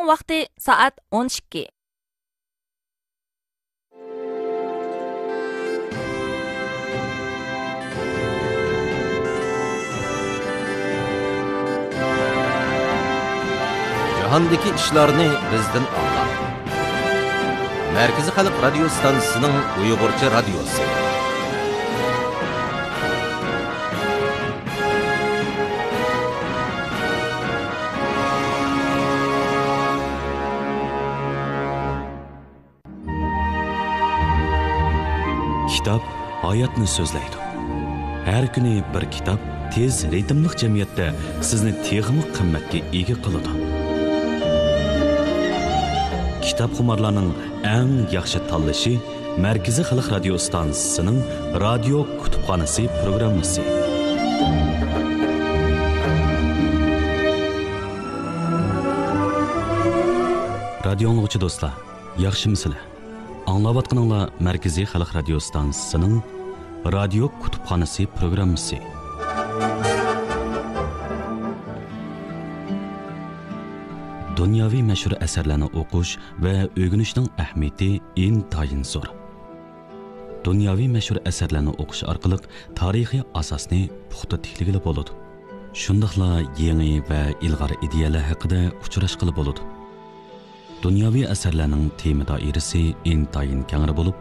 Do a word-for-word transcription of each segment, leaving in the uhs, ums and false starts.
ۋاقتى سائەت ئون ئىككى. جاھاندىكى ئىشلارنى بىزدىن ئاڭلاڭ. مەركىزىي خەلق رادىيو ستانسىسىنىڭ ئۇيغۇرچە رادىيوسى. كىتاب ھاياتنى سۆزلەيدۇ. ھەر كۈنى بىر كىتاب تېز رىتىملىق جەمئىيەتتە سىزنى تېخىمۇ قىممەتكە ئىگە قىلىدۇ. كىتابخۇمارلارنىڭ ئەڭ ياخشى تاللىشى مەركىزىي خەلق رادىيو ئىستانسىسىنىڭ رادىيو كۇتۇپخانىسى پروگراممىسى. رادىيو ئاڭلىغۇچى دوستلار، ياخشىمۇسىلەر؟ ئاڭلاۋاتقىنىڭلار مەركىزىي خەلق رادىيو ئىستانسىسىنىڭ رادىيو كۇتۇپخانىسى پروگراممىسى. دۇنياۋى مەشھۇر ئەسەرلەرنى ئوقۇش ۋە ئۆگىنىشنىڭ ئەھمىيىتى ئىنتايىن زور. دۇنياۋى مەشھۇر ئەسەرلەرنى ئوقۇش ئارقىلىق تارىخىي ئاساسنى پۇختا تىكلىگىلى بولىدۇ. شۇنداقلا يېڭى ۋە ئىلغار ئىدىيەلەر ھەققىدە ئۇچراشقىلى بولىدۇ. دۇنياۋى ئەسەرلەرنىڭ تېما دائىرىسى ئىنتايىن كەڭرى بولۇپ،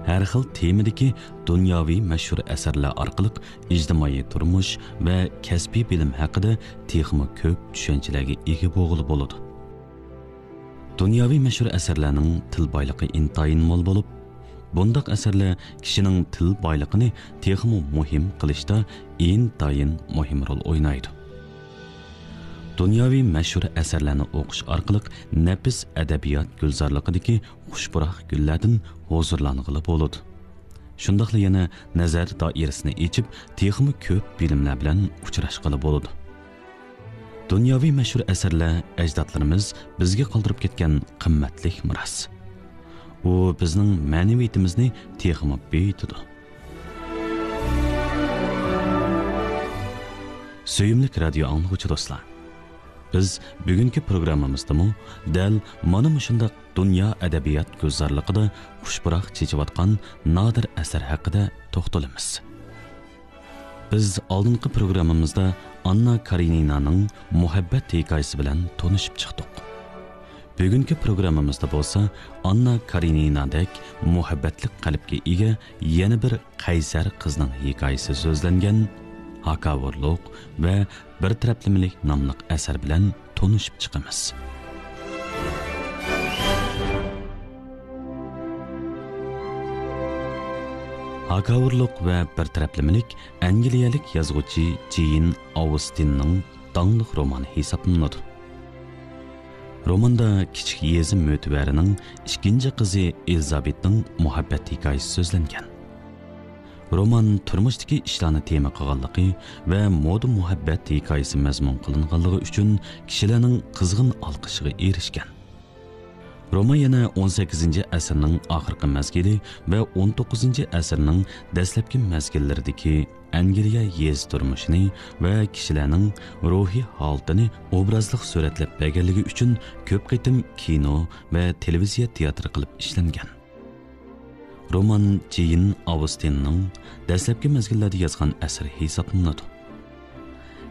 ھەر خىل تېمىدىكى دۇنياۋى مەشھۇر ئەسەرلەر ئارقىلىق ئىجتىمائىي تۇرمۇش ۋە كەسپىي بىلىم ھەققىدە تېخىمۇ كۆپ چۈشەنچىلەرگە ئىگە بولغىلى بولىدۇ. دۇنياۋى مەشھۇر ئەسەرلەرنىڭ تىل بايلىقى ئىنتايىن مول بولۇپ، بۇنداق ئەسەرلەر كىشىنىڭ تىل بايلىقىنى تېخىمۇ مۇھىم قىلىشتا ئىنتايىن مۇھىم رول ئوينايدۇ. دۇنياۋى مەشھۇر ئەسەرلەرنى ئوقۇش ئارقىلىق نەپىس ئەدەبىيات گۈلزارلىقىدىكى خۇش پۇراق گۈللەردىن ھۇزۇرلانغىلى بولىدۇ. شۇنداقلا يەنە نەزەر دائىرىسىنى ئېچىپ، تېخىمۇ كۆپ بىلىملەر بىلەن ئۇچراشقىلى بولىدۇ. دۇنياۋى مەشھۇر ئەسەرلەر ئەجدادلىرىمىز بىزگە قالدۇرۇپ كەتكەن قىممەتلىك مىراس. ئۇ بىزنىڭ مەنىۋىيىتىمىزنى تېخىمۇ بېيىتىدۇ. سۆيۈملۈك رادىيو ئاڭلىغۇچى دوستلار، بىز بۈگۈنكى پروگراممىمىزدىمۇ دەل مانا مۇشۇنداق دۇنيا ئەدەبىيات گۈلزارلىقىدا خۇش پۇراق چېچىۋاتقان نادىر ئەسەر ھەققىدە توختىلىمىز. بىز ئالدىنقى پروگراممىمىزدا ئاننا كارېنىنانىڭ مۇھەببەت ھېكايىسى بىلەن تونۇشۇپ چىقتۇق. بۈگۈنكى پروگراممىمىزدا بولسا ئاننا كارېنىنادەك مۇھەببەتلىك قەلبكە ئىگە يەنە بىر قەيسەر قىزنىڭ ھېكايىسى سۆزلەنگەن ھاكاۋۇرلۇق ۋە بىر تەرەپلىمىلىك ناملىق ئەسەر بىلەن تونۇشۇپ چىقىمىز. ھاكاۋۇرلۇق ۋە بىر تەرەپلىمىلىك ئەنگلىيەلىك يازغۇچى جېين ئاۋستىننىڭ داڭلىق رومانى ھېسابلىنىدۇ. روماندا كىچىك يېزا مۆتىۋەرىنىڭ ئىككىنچى قىزى ئېلىزابېتنىڭ مۇھەببەت ھېكايىسى سۆزلەنگەن. رومان تۇرمۇشتىكى ئىشلارنى تېما قىلغانلىقى ۋە مودا مۇھەببەت ھېكايىسى مەزمۇن قىلىنغانلىقى ئۈچۈن كىشىلەرنىڭ قىزغىن ئالقىشىغا ئېرىشكەن. رومان يەنە ئون سەككىزىنچى ئەسىرنىڭ ئاخىرقى مەزگىلى ۋە ئون توققۇزىنچى ئەسىرنىڭ دەسلەپكى مەزگىللىرىدىكى ئەنگلىيە يېزا تۇرمۇشىنى ۋە كىشىلەرنىڭ روھىي ھالىتىنى ئوبرازلىق سۈرەتلەپ بەرگەنلىكى ئۈچۈن كۆپ قېتىم كىنو ۋە تېلېۋىزىيە تىياتىرى قىلىپ ئىشلەنگەن. رومان جېين ئاۋستىننىڭ دەسلەپكى مەزگىللەردە يازغان ئەسىرى ھېسابلىنىدۇ.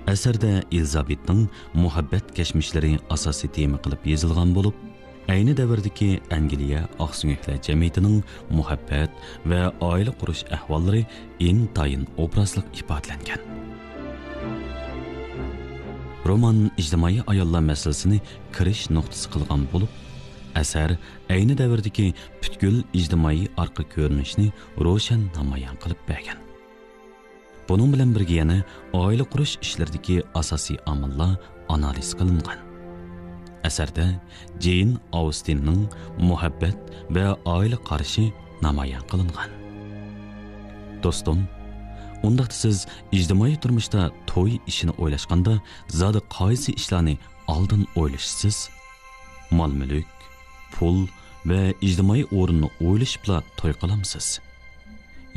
ئەسەردە ئېلىزابېتنىڭ مۇھەببەت كەچمىشلىرى ئاساسىي تېما قىلىپ يېزىلغان بولۇپ، ئەينى دەۋردىكى ئەنگلىيە ئاقسۆڭەكلەر جەمئىيىتىنىڭ مۇھەببەت ۋە ئائىلە قۇرۇش ئەھۋاللىرى ئىنتايىن ئوبرازلىق ئىپادىلەنگەن. رومان ئىجتىمائىي ئاياللار مەسىلىسىنى كىرىش نۇقتىسى قىلغان بولۇپ، ئەسەر ئەينى دەۋردىكى پۈتكۈل ئىجتىمائىي ئارقا كۆرۈنۈشنى روشەن نامايان قىلىپ بەرگەن. بۇنىڭ بىلەن بىرگە يەنە ئائىلە قۇرۇش ئىشلىرىدىكى ئاساسىي ئامىللار ئانالىز قىلىنغان. ئەسەردە جېين ئاۋستىننىڭ مۇھەببەت ۋە ئائىلە قارىشى نامايان قىلىنغان. دوستۇم، ئۇنداقتا سىز ئىجتىمائىي تۇرمۇشتا توي ئىشىنى ئويلاشقاندا زادى قايسى ئىشلارنى ئالدىن ئويلىشىسىز؟ مال-مۈلۈك، پۇل ۋە ئىجتىمائىي ئورۇننى ئويلىشىپلا توي قىلامسىز؟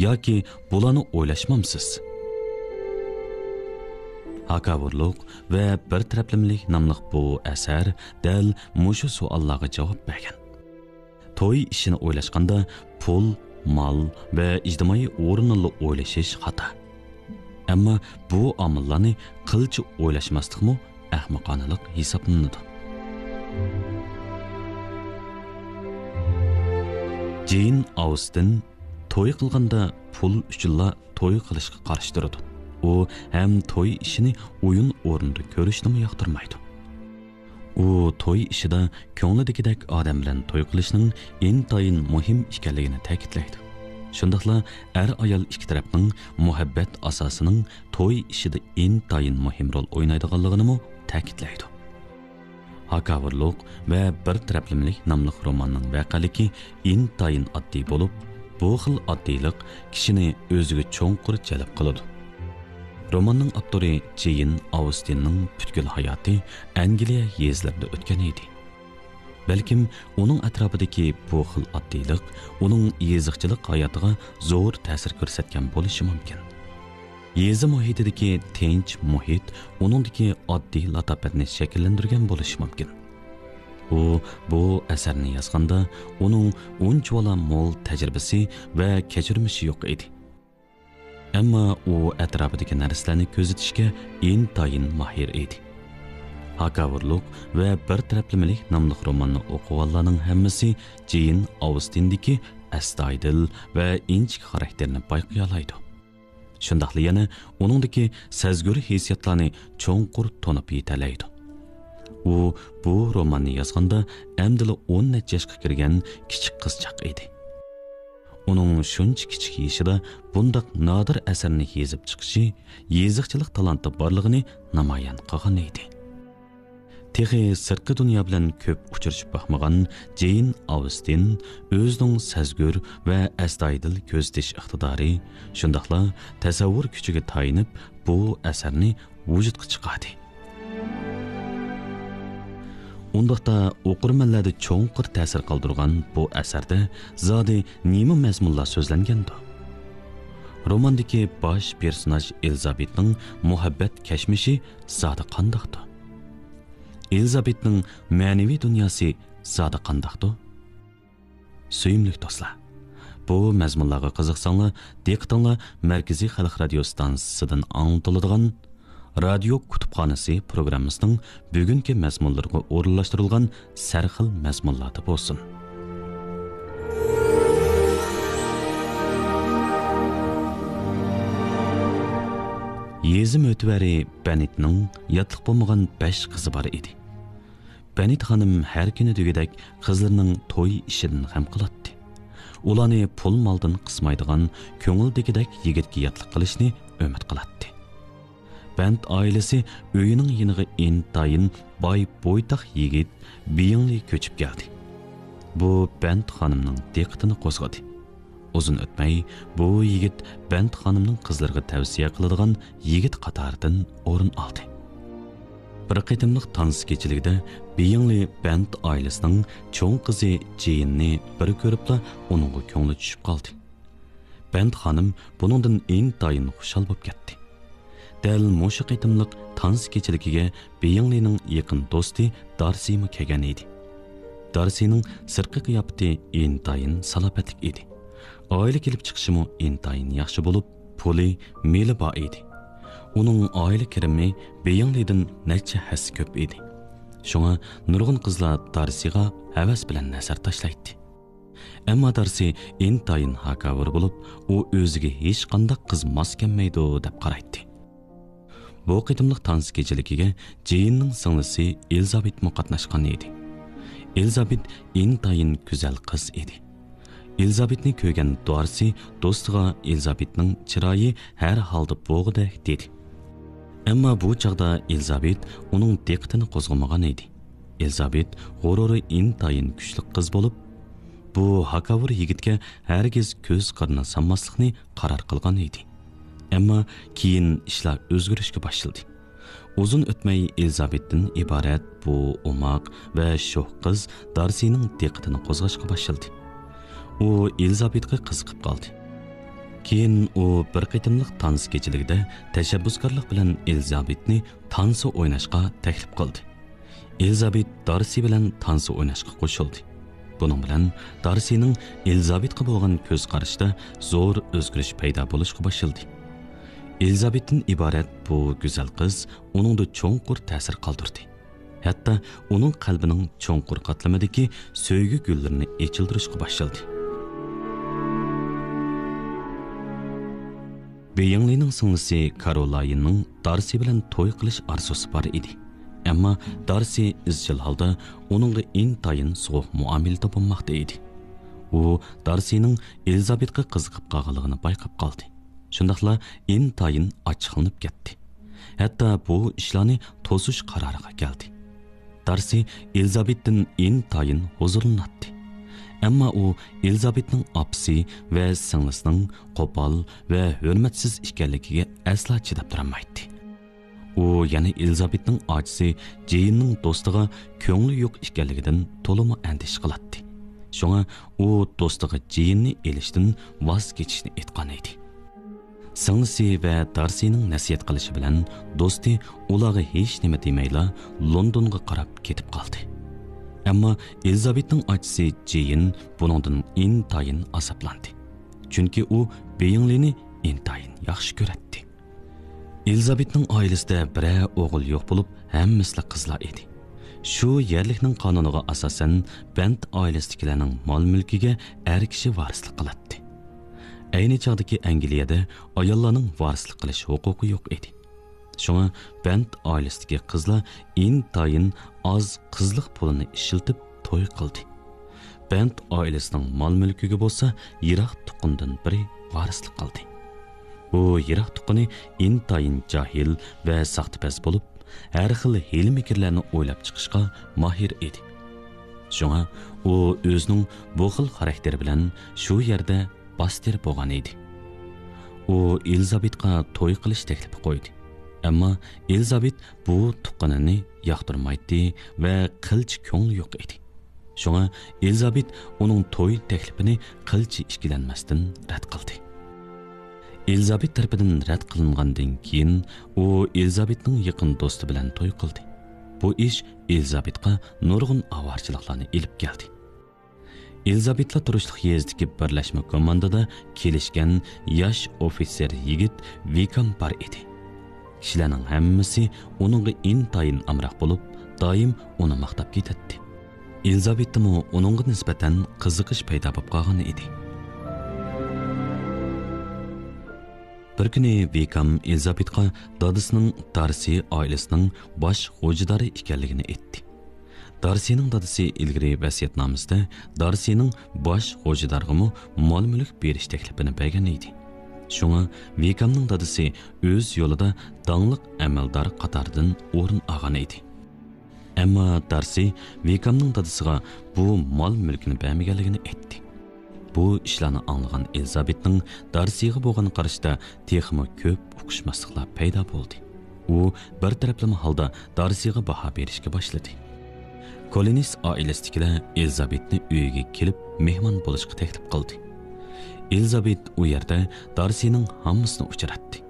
ياكى بۇلارنى ئويلاشمامسىز؟ ھاكاۋۇرلۇق ۋە بىر تەرەپلىمىلىك ناملىق بۇ ئەسەر دەل مۇشۇ سوئاللارغا جاۋاب بەرگەن. توي ئىشىنى ئويلاشقاندا پۇل، مال ۋە ئىجتىمائىي ئورۇننىلا ئويلىشىش خاتا. ئەمما بۇ ئامىللارنى قىلچە ئويلاشماسلىقمۇ ئەخمىقانىلىق ھېسابلىنىدۇ. جېين ئاۋستىن توي قىلغاندا پۇل ئۈچۈنلا توي قىلىشقا قارشى تۇرىدۇ. ئۇ ھەم توي ئىشىنى ئويۇن ئورنىدا كۆرۈشنىمۇ ياقتۇرمايدۇ. ئۇ توي ئىشىدا كۆڭلىدىكىدەك ئادەم بىلەن توي قىلىشنىڭ ئىنتايىن مۇھىم ئىكەنلىكىنى تەكىتلەيدۇ. شۇنداقلا ئەر-ئايال ئىككى تەرەپنىڭ مۇھەببەت ئاساسىنىڭ توي ئىشىدا ئىنتايىن مۇھىم رول ئوينايدىغانلىقىنىمۇ تەكىتلەيدۇ. ھاكاۋۇرلۇق ۋە بىر تەرەپلىمىلىك ناملىق روماننىڭ ۋەقەلىكى ئىنتايىن ئاددىي بولۇپ، بۇ خىل ئاددىيلىق كىشىنى ئۆزىگە چوڭقۇر جەلپ قىلىدۇ. روماننىڭ ئاپتورى جېين ئاۋستىننىڭ پۈتكۈل ھاياتى ئەنگلىيە يېزىلىرىدا ئۆتكەن ئىدى. بەلكىم ئۇنىڭ ئەتراپىدىكى بۇ خىل ئاددىيلىق ئۇنىڭ يېزىقچىلىق ھاياتىغا زور تەسىر كۆرسەتكەن بولۇشى مۇمكىن. يېزا مۇھىتىدىكى تىنچ مۇھىت ئۇنىڭدىكى ئاددىي لاتاپەتنى شەكىللەندۈرگەن بولۇشى مۇمكىن. ئۇ بۇ ئەسەرنى يازغاندا ئۇنىڭ ئۇنچىۋالا مول تەجرىبىسى ۋە كەچۈرمىشى يوق ئىدى. ئەمما ئۇ ئەتراپىدىكى نەرسىلەرنى كۆزىتىشكە ئىنتايىن ماھىر ئىدى. ھاكاۋۇرلۇق ۋە بىر تەرەپلىمىلىك ناملىق روماننى ئوقۇغانلارنىڭ ھەممىسى جېين ئاۋستىندىكى ئەستايىدىل ۋە ئىنچىكە خاراكتېرىنى بايقىيالايدۇ. شۇنداقلا يەنە ئۇنىڭدىكى سەزگۈر ھېسسىياتلارنى چوڭقۇر تونۇپ يېتەلەيدۇ. ئۇ بۇ روماننى يازغاندا ئەمدىلا ئون نەچچە ياشقا كىرگەن كىچىك قىزچاق ئىدى. ئۇنىڭ شۇنچە كىچىك يېشىدا بۇنداق نادىر ئەسەرنى يېزىپ چىقىشى يېزىقچىلىق تالانتى بارلىقىنى نامايان قىلغان ئىدى. تېخى سىرتقى دۇنيا بىلەن كۆپ ئۇچرىشىپ باقمىغان جېين ئاۋستىن ئۆزىنىڭ سەزگۈر ۋە ئەستايىدىل كۆزىتىش ئىقتىدارى، شۇنداقلا تەسەۋۋۇر كۈچىگە تايىنىپ بۇ ئەسەرنى ۋۇجۇدقا چىقاردى. ئۇنداقتا ئوقۇرمەنلەردە چوڭقۇر تەسىر قالدۇرغان بۇ ئەسەردە زادى نېمە مەزمۇنلار سۆزلەنگەندۇ؟ روماندىكى باش پېرسوناژ ئېلىزابېتنىڭ مۇھەببەت كەچمىشى زادى قانداقتۇ؟ ئېلىزابېتنىڭ مەنىۋى دۇنياسى زادى قانداقتۇ؟ سۆيۈملۈك دوستلار، بۇ مەزمۇنلارغا قىزىقساڭلار، دىققىتىڭلار مەركىزىي خەلق رادىيو ستانسىسىدىن ئاڭلىتىلىدىغان رادىيو كۇتۇپخانىسى پروگراممىسىنىڭ بۈگۈنكى مەزمۇنلىرىغا ئورۇنلاشتۇرۇلغان سەرخىل مەزمۇنلاردا بولسۇن. يېزا مۆتىۋەرى بەنىتنىڭ ياتلىق بولمىغان بەش قىزى بار ئىدى. بەنىت خانىم ھەر كۈنى دېگۈدەك قىزلىرىنىڭ توي ئىشىدىن غەم قىلاتتى. ئۇلارنى پۇل-مالدىن قىسمايدىغان كۆڭۈلدىكىدەك يىگىتكە ياتلىق قىلىشنى ئۈمىد قىلاتتى. بەنت ئائىلىسى ئۆيىنىڭ يېنىغا ئىنتايىن باي بويتاق يىگىت بېيىڭلى كۆچۈپ كەلدى. بۇ بەنت خانىمنىڭ دىققىتىنى قوزغىدى. ئۇزۇن ئۆتمەي، بۇ يىگىت بەنت خانىمنىڭ قىزلىرىغا تەۋسىيە قىلىدىغان يىگىت قاتارىدىن ئورۇن ئالدى. بىر قېتىملىق تانسا كېچىلىكىدە بېيىڭلى بەنت ئائىلىسىنىڭ چوڭ قىزى جېيىننى بىر كۆرۈپلا ئۇنىڭغا كۆڭلى چۈشۈپ قالدى. بەنت خانىم بۇنىڭدىن ئىنتايىن خۇشال بولۇپ كەتتى. دەل مۇشۇ قېتىملىق تانسا كېچىلىكىگە بېيىڭلىنىڭ يېقىن دوستى دارسىمۇ كەلگەن ئىدى. دارسىنىڭ سىرتقى قىياپىتى ئىنتايىن سالاپەتلىك ئىدى. ئائىلە كېلىپ چىقىشىمۇ ئىنتايىن ياخشى بولۇپ، پۇلى، مېلى بار ئىدى. ئۇنىڭ ئائىلە كىرىمى بېيىڭلىدىن نەچچە ھەسسە كۆپ ئىدى. شۇڭا نۇرغۇن قىزلار دارسىغا ھەۋەس بىلەن نەزەر تاشلايتتى. ئەمما دارسى ئىنتايىن ھاكاۋۇر بولۇپ، ئۇ ئۆزىگە ھېچقانداق قىز ماس كەلمەيدۇ دەپ قارايتتى. بۇ قېتىملىق تانسا كېچىلىكىگە جېيىننىڭ سىڭلىسى ئېلىزابېتمۇ قاتناشقان ئىدى. ئېلىزابېت ئىنتايىن گۈزەل قىز ئىدى. ئېلىزابېتنى كۆرگەن دارسى دوستىغا ئېلىزابېتنىڭ چىرايى ھەر ھالدا بوغۇدەك دېدى. ئەمما بۇ چاغدا ئېلىزابېت ئۇنىڭ دىققىتىنى قوزغىمىغان ئىدى. ئېلىزابېت غۇرۇرى ئىنتايىن كۈچلۈك قىز بولۇپ، بۇ ھاكاۋۇر يىگىتكە ھەرگىز كۆز قىرىنى سالماسلىقنى قارار قىلغان ئىدى. ئەمما كېيىن ئىشلار ئۆزگىرىشكە باشلىدى. ئۇزۇن ئۆتمەي ئېلىزابېتتىن ئىبارەت بۇ ئوماق ۋە شوخ قىز دارسىنىڭ دىققىتىنى قوزغاشقا باشلىدى. ئۇ ئېلىزابېتقا قىزىقىپ قالدى. كېيىن ئۇ بىر قېتىملىق تانسا كېچىلىكىدە تەشەببۇسكارلىق بىلەن ئېلىزابېتنى تانسا ئويناشقا تەكلىپ قىلدى. ئېلىزابېت دارسى بىلەن تانسا ئويناشقا قوشۇلدى. بۇنىڭ بىلەن دارسىنىڭ ئېلىزابېتقا بولغان كۆز قارىشىدا زور ئۆزگىرىش پەيدا بولۇشقا باشلىدى. ئېلىزابېتتىن ئىبارەت بۇ گۈزەل قىز ئۇنىڭدا چوڭقۇر تەسىر قالدۇردى. ھەتتا ئۇنىڭ قەلبىنىڭ چوڭقۇر قاتلىمىدىكى سۆيگۈ گۈللىرىنى ئېچىلدۇرۇشقا باشلىدى. بېيىڭلىنىڭ سىڭلىسى كارولايىننىڭ دارسى بىلەن توي قىلىش ئارزۇسى بار ئىدى. ئەمما دارسى ئىزچىل ھالدا ئۇنىڭغا ئىنتايىن سوغۇق مۇئامىلىدە بولماقتا ئىدى. ئۇ دارسىنىڭ ئېلىزابېتقا قىزىقىپ قالغانلىقىنى بايقاپ قالدى. شۇنداقلا ئىنتايىن ئاچچىقلىنىپ كەتتى. ھەتتا بۇ ئىشلارنى توسۇش قارارىغا كەلدى. دارسى ئېلىزابېتتىن ئىنتايىن ھۇزۇرلىناتتى. ئەمما ئۇ ئېلىزابېتنىڭ ئاپىسى ۋە سىڭلىسىنىڭ قوپال ۋە ھۆرمەتسىز ئىكەنلىكىگە ئەسلا چىداپ تۇرالمايتتى. ئۇ يەنە ئېلىزابېتنىڭ ئاچىسى جېيننىڭ دوستىغا كۆڭلى يوق ئىكەنلىكىدىن تولىمۇ ئەندىشە قىلاتتى. شۇڭا ئۇ دوستىغا جېيننى ئېلىشتىن ۋاز كېچىشنى ئېيتقان ئىدى. سىڭلىسى ۋە دارسىنىڭ نەسىھەت قىلىشى بىلەن دوستى ئۇلارغا ھېچنېمە دېمەيلا لوندونغا قاراپ كېتىپ قالدى. ئەمما ئېلىزابېتنىڭ ئاچىسى جېين بۇنىڭدىن ئىنتايىن ئازابلاندى. چۈنكى ئۇ بېيىڭلىنى ئىنتايىن ياخشى كۆرەتتى. ئېلىزابېتنىڭ ئائىلىسىدە بىرەر ئوغۇل يوق بولۇپ، ھەممىسىلا قىزلار ئىدى. شۇ يەرلىكنىڭ قانۇنىغا ئاساسەن، بەنت ئائىلىسىدىكىلەرنىڭ مال-مۈلكىگە ئەر كىشى ۋارىسلىق قىلاتتى. ئەينى چاغدىكى ئەنگلىيەدە ئاياللارنىڭ ۋارىسلىق قىلىش ھوقۇقى يوق ئىدى. شۇڭا بەنت ئائىلىسىدىكى قىزلار ئىنتايىن ئاز قىزلىق پۇلىنى ئىشلىتىپ توي قىلدى. بەنت ئائىلىسىنىڭ مال-مۈلكىگە بولسا يىراق تۇغقىنىدىن بىرى ۋارىسلىق قىلدى. بۇ يىراق تۇغقىنى ئىنتايىن جاھىل ۋە ساختىپەز بولۇپ، ھەر خىل ھىيلە-مىكىرلەرنى ئويلاپ چىقىشقا ماھىر ئىدى. شۇڭا ئۇ ئۆزىنىڭ بۇ خىل خاراكتېرى بىلەن شۇ يەردە باستېر بولغان ئىدى. ئۇ ئېلىزابېتقا توي قىلىش تەكلىپى قويدى. ئەمما ئېلىزابېت بۇ تۇغقىنىنى ياقتۇرمايتتى ۋە قىلچە كۆڭلى يوق ئىدى. شۇڭا ئېلىزابېت ئۇنىڭ توي تەكلىپىنى قىلچە ئىككىلەنمەستىن رەت قىلدى. ئېلىزابېت تەرىپىدىن رەت قىلىنغاندىن كېيىن، ئۇ ئېلىزابېتنىڭ يېقىن دوستى بىلەن توي قىلدى. بۇ ئىش ئېلىزابېتقا نۇرغۇن ئاۋارىچىلىقلارنى ئېلىپ كەلدى. ئېلىزابېتلا تۇرۇشلۇق يېزىدىكى بىرلەشمە كوماندىدا كېلىشكەن ياش ئوفىتسېر يىگىت ۋىكام بار ئىدى. كىشىلەرنىڭ ھەممىسى ئۇنىڭغا ئىنتايىن ئامراق بولۇپ، دائىم ئۇنى ماختاپ كېتەتتى. ئېلىزابېتتىمۇ ئۇنىڭغا نىسبەتەن قىزىقىش پەيدا بولۇپ قالغان ئىدى. بىر كۈنى ۋىكام ئېلىزابېتقا دادىسىنىڭ دارسى ئائىلىسىنىڭ باش غوجىدارى ئىكەنلىكىنى ئېيتتى. دارسىنىڭ دادىسى ئىلگىرى ۋەسىيەتنامىسىدە دارسىنىڭ باش غوجىدارغىمۇ مال-مۈلۈك بېرىش تەكلىپىنى بەرگەن ئىدى. شۇڭا ۋىكامنىڭ دادىسى ئۆز يولىدا داڭلىق ئەمەلدار قاتارىدىن ئورۇن ئالغان ئىدى. ئەمما دارسى ۋىكامنىڭ دادىسىغا بۇ مال-مۈلكىنى بەرمىگەنلىكىنى ئېيتتى. بۇ ئىشلارنى ئاڭلىغان ئېلىزابېتنىڭ دارسىغا بولغان قارىشىدا تېخىمۇ كۆپ ئۇقۇشماسلىقلار پەيدا بولدى. ئۇ بىر تەرەپلىمە ھالدا دارسىغا باھا بېرىشكە باشلىدى. كولىنس ئائىلىسىدىكىلەر ئېلىزابېتنى ئۆيىگە كېلىپ مېھمان بولۇشقا تەكلىپ قىلدى. ئېلىزابېت ئۇ يەردە دارسىنىڭ ھاممىسىنى ئۇچراتتى.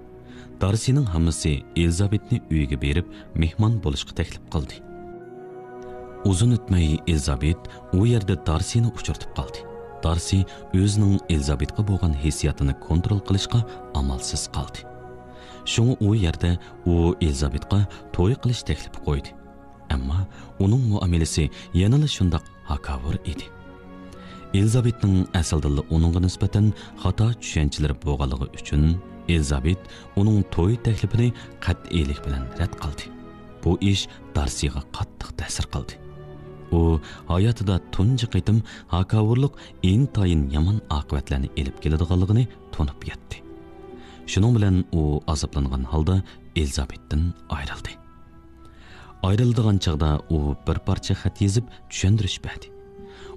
دارسىنىڭ ھاممىسى ئېلىزابېتنى ئۆيىگە بېرىپ مېھمان بولۇشقا تەكلىپ قىلدى. ئۇزۇن ئۆتمەي ئېلىزابېت ئۇ يەردە دارسىنى ئۇچرىتىپ قالدى. دارسى ئۆزىنىڭ ئېلىزابېتقا بولغان ھېسسىياتىنى كونترول قىلىشقا ئامالسىز قالدى. شۇڭا ئۇ يەردە ئۇ ئېلىزابېتقا توي قىلىش تەكلىپى قويدى. ئەمما ئۇنىڭ مۇئامىلىسى يەنىلا شۇنداق ھاكاۋۇر ئىدى. ئېلىزابېتنىڭ ئەسلىدىنلا ئۇنىڭغا نىسبەتەن خاتا چۈشەنچىلىرى بولغانلىقى ئۈچۈن، ئېلىزابېت ئۇنىڭ توي تەكلىپىنى قەتئىيلىك بىلەن رەت قىلدى. بۇ ئىش دارسىغا قاتتىق تەسىر قىلدى. ئۇ ھاياتىدا تۇنجى قېتىم ھاكاۋۇرلۇق ئىنتايىن يامان ئاقىۋەتلەرنى ئېلىپ كېلىدىغانلىقىنى تونۇپ يەتتى. شۇنىڭ بىلەن ئۇ ئازابلانغان ھالدا ئېلىزابېتتىن ئايرىلدى. ئايرىلىدىغان چاغدا ئۇ بىر پارچە خەت يېزىپ چۈشەندۈرۈش بەردى.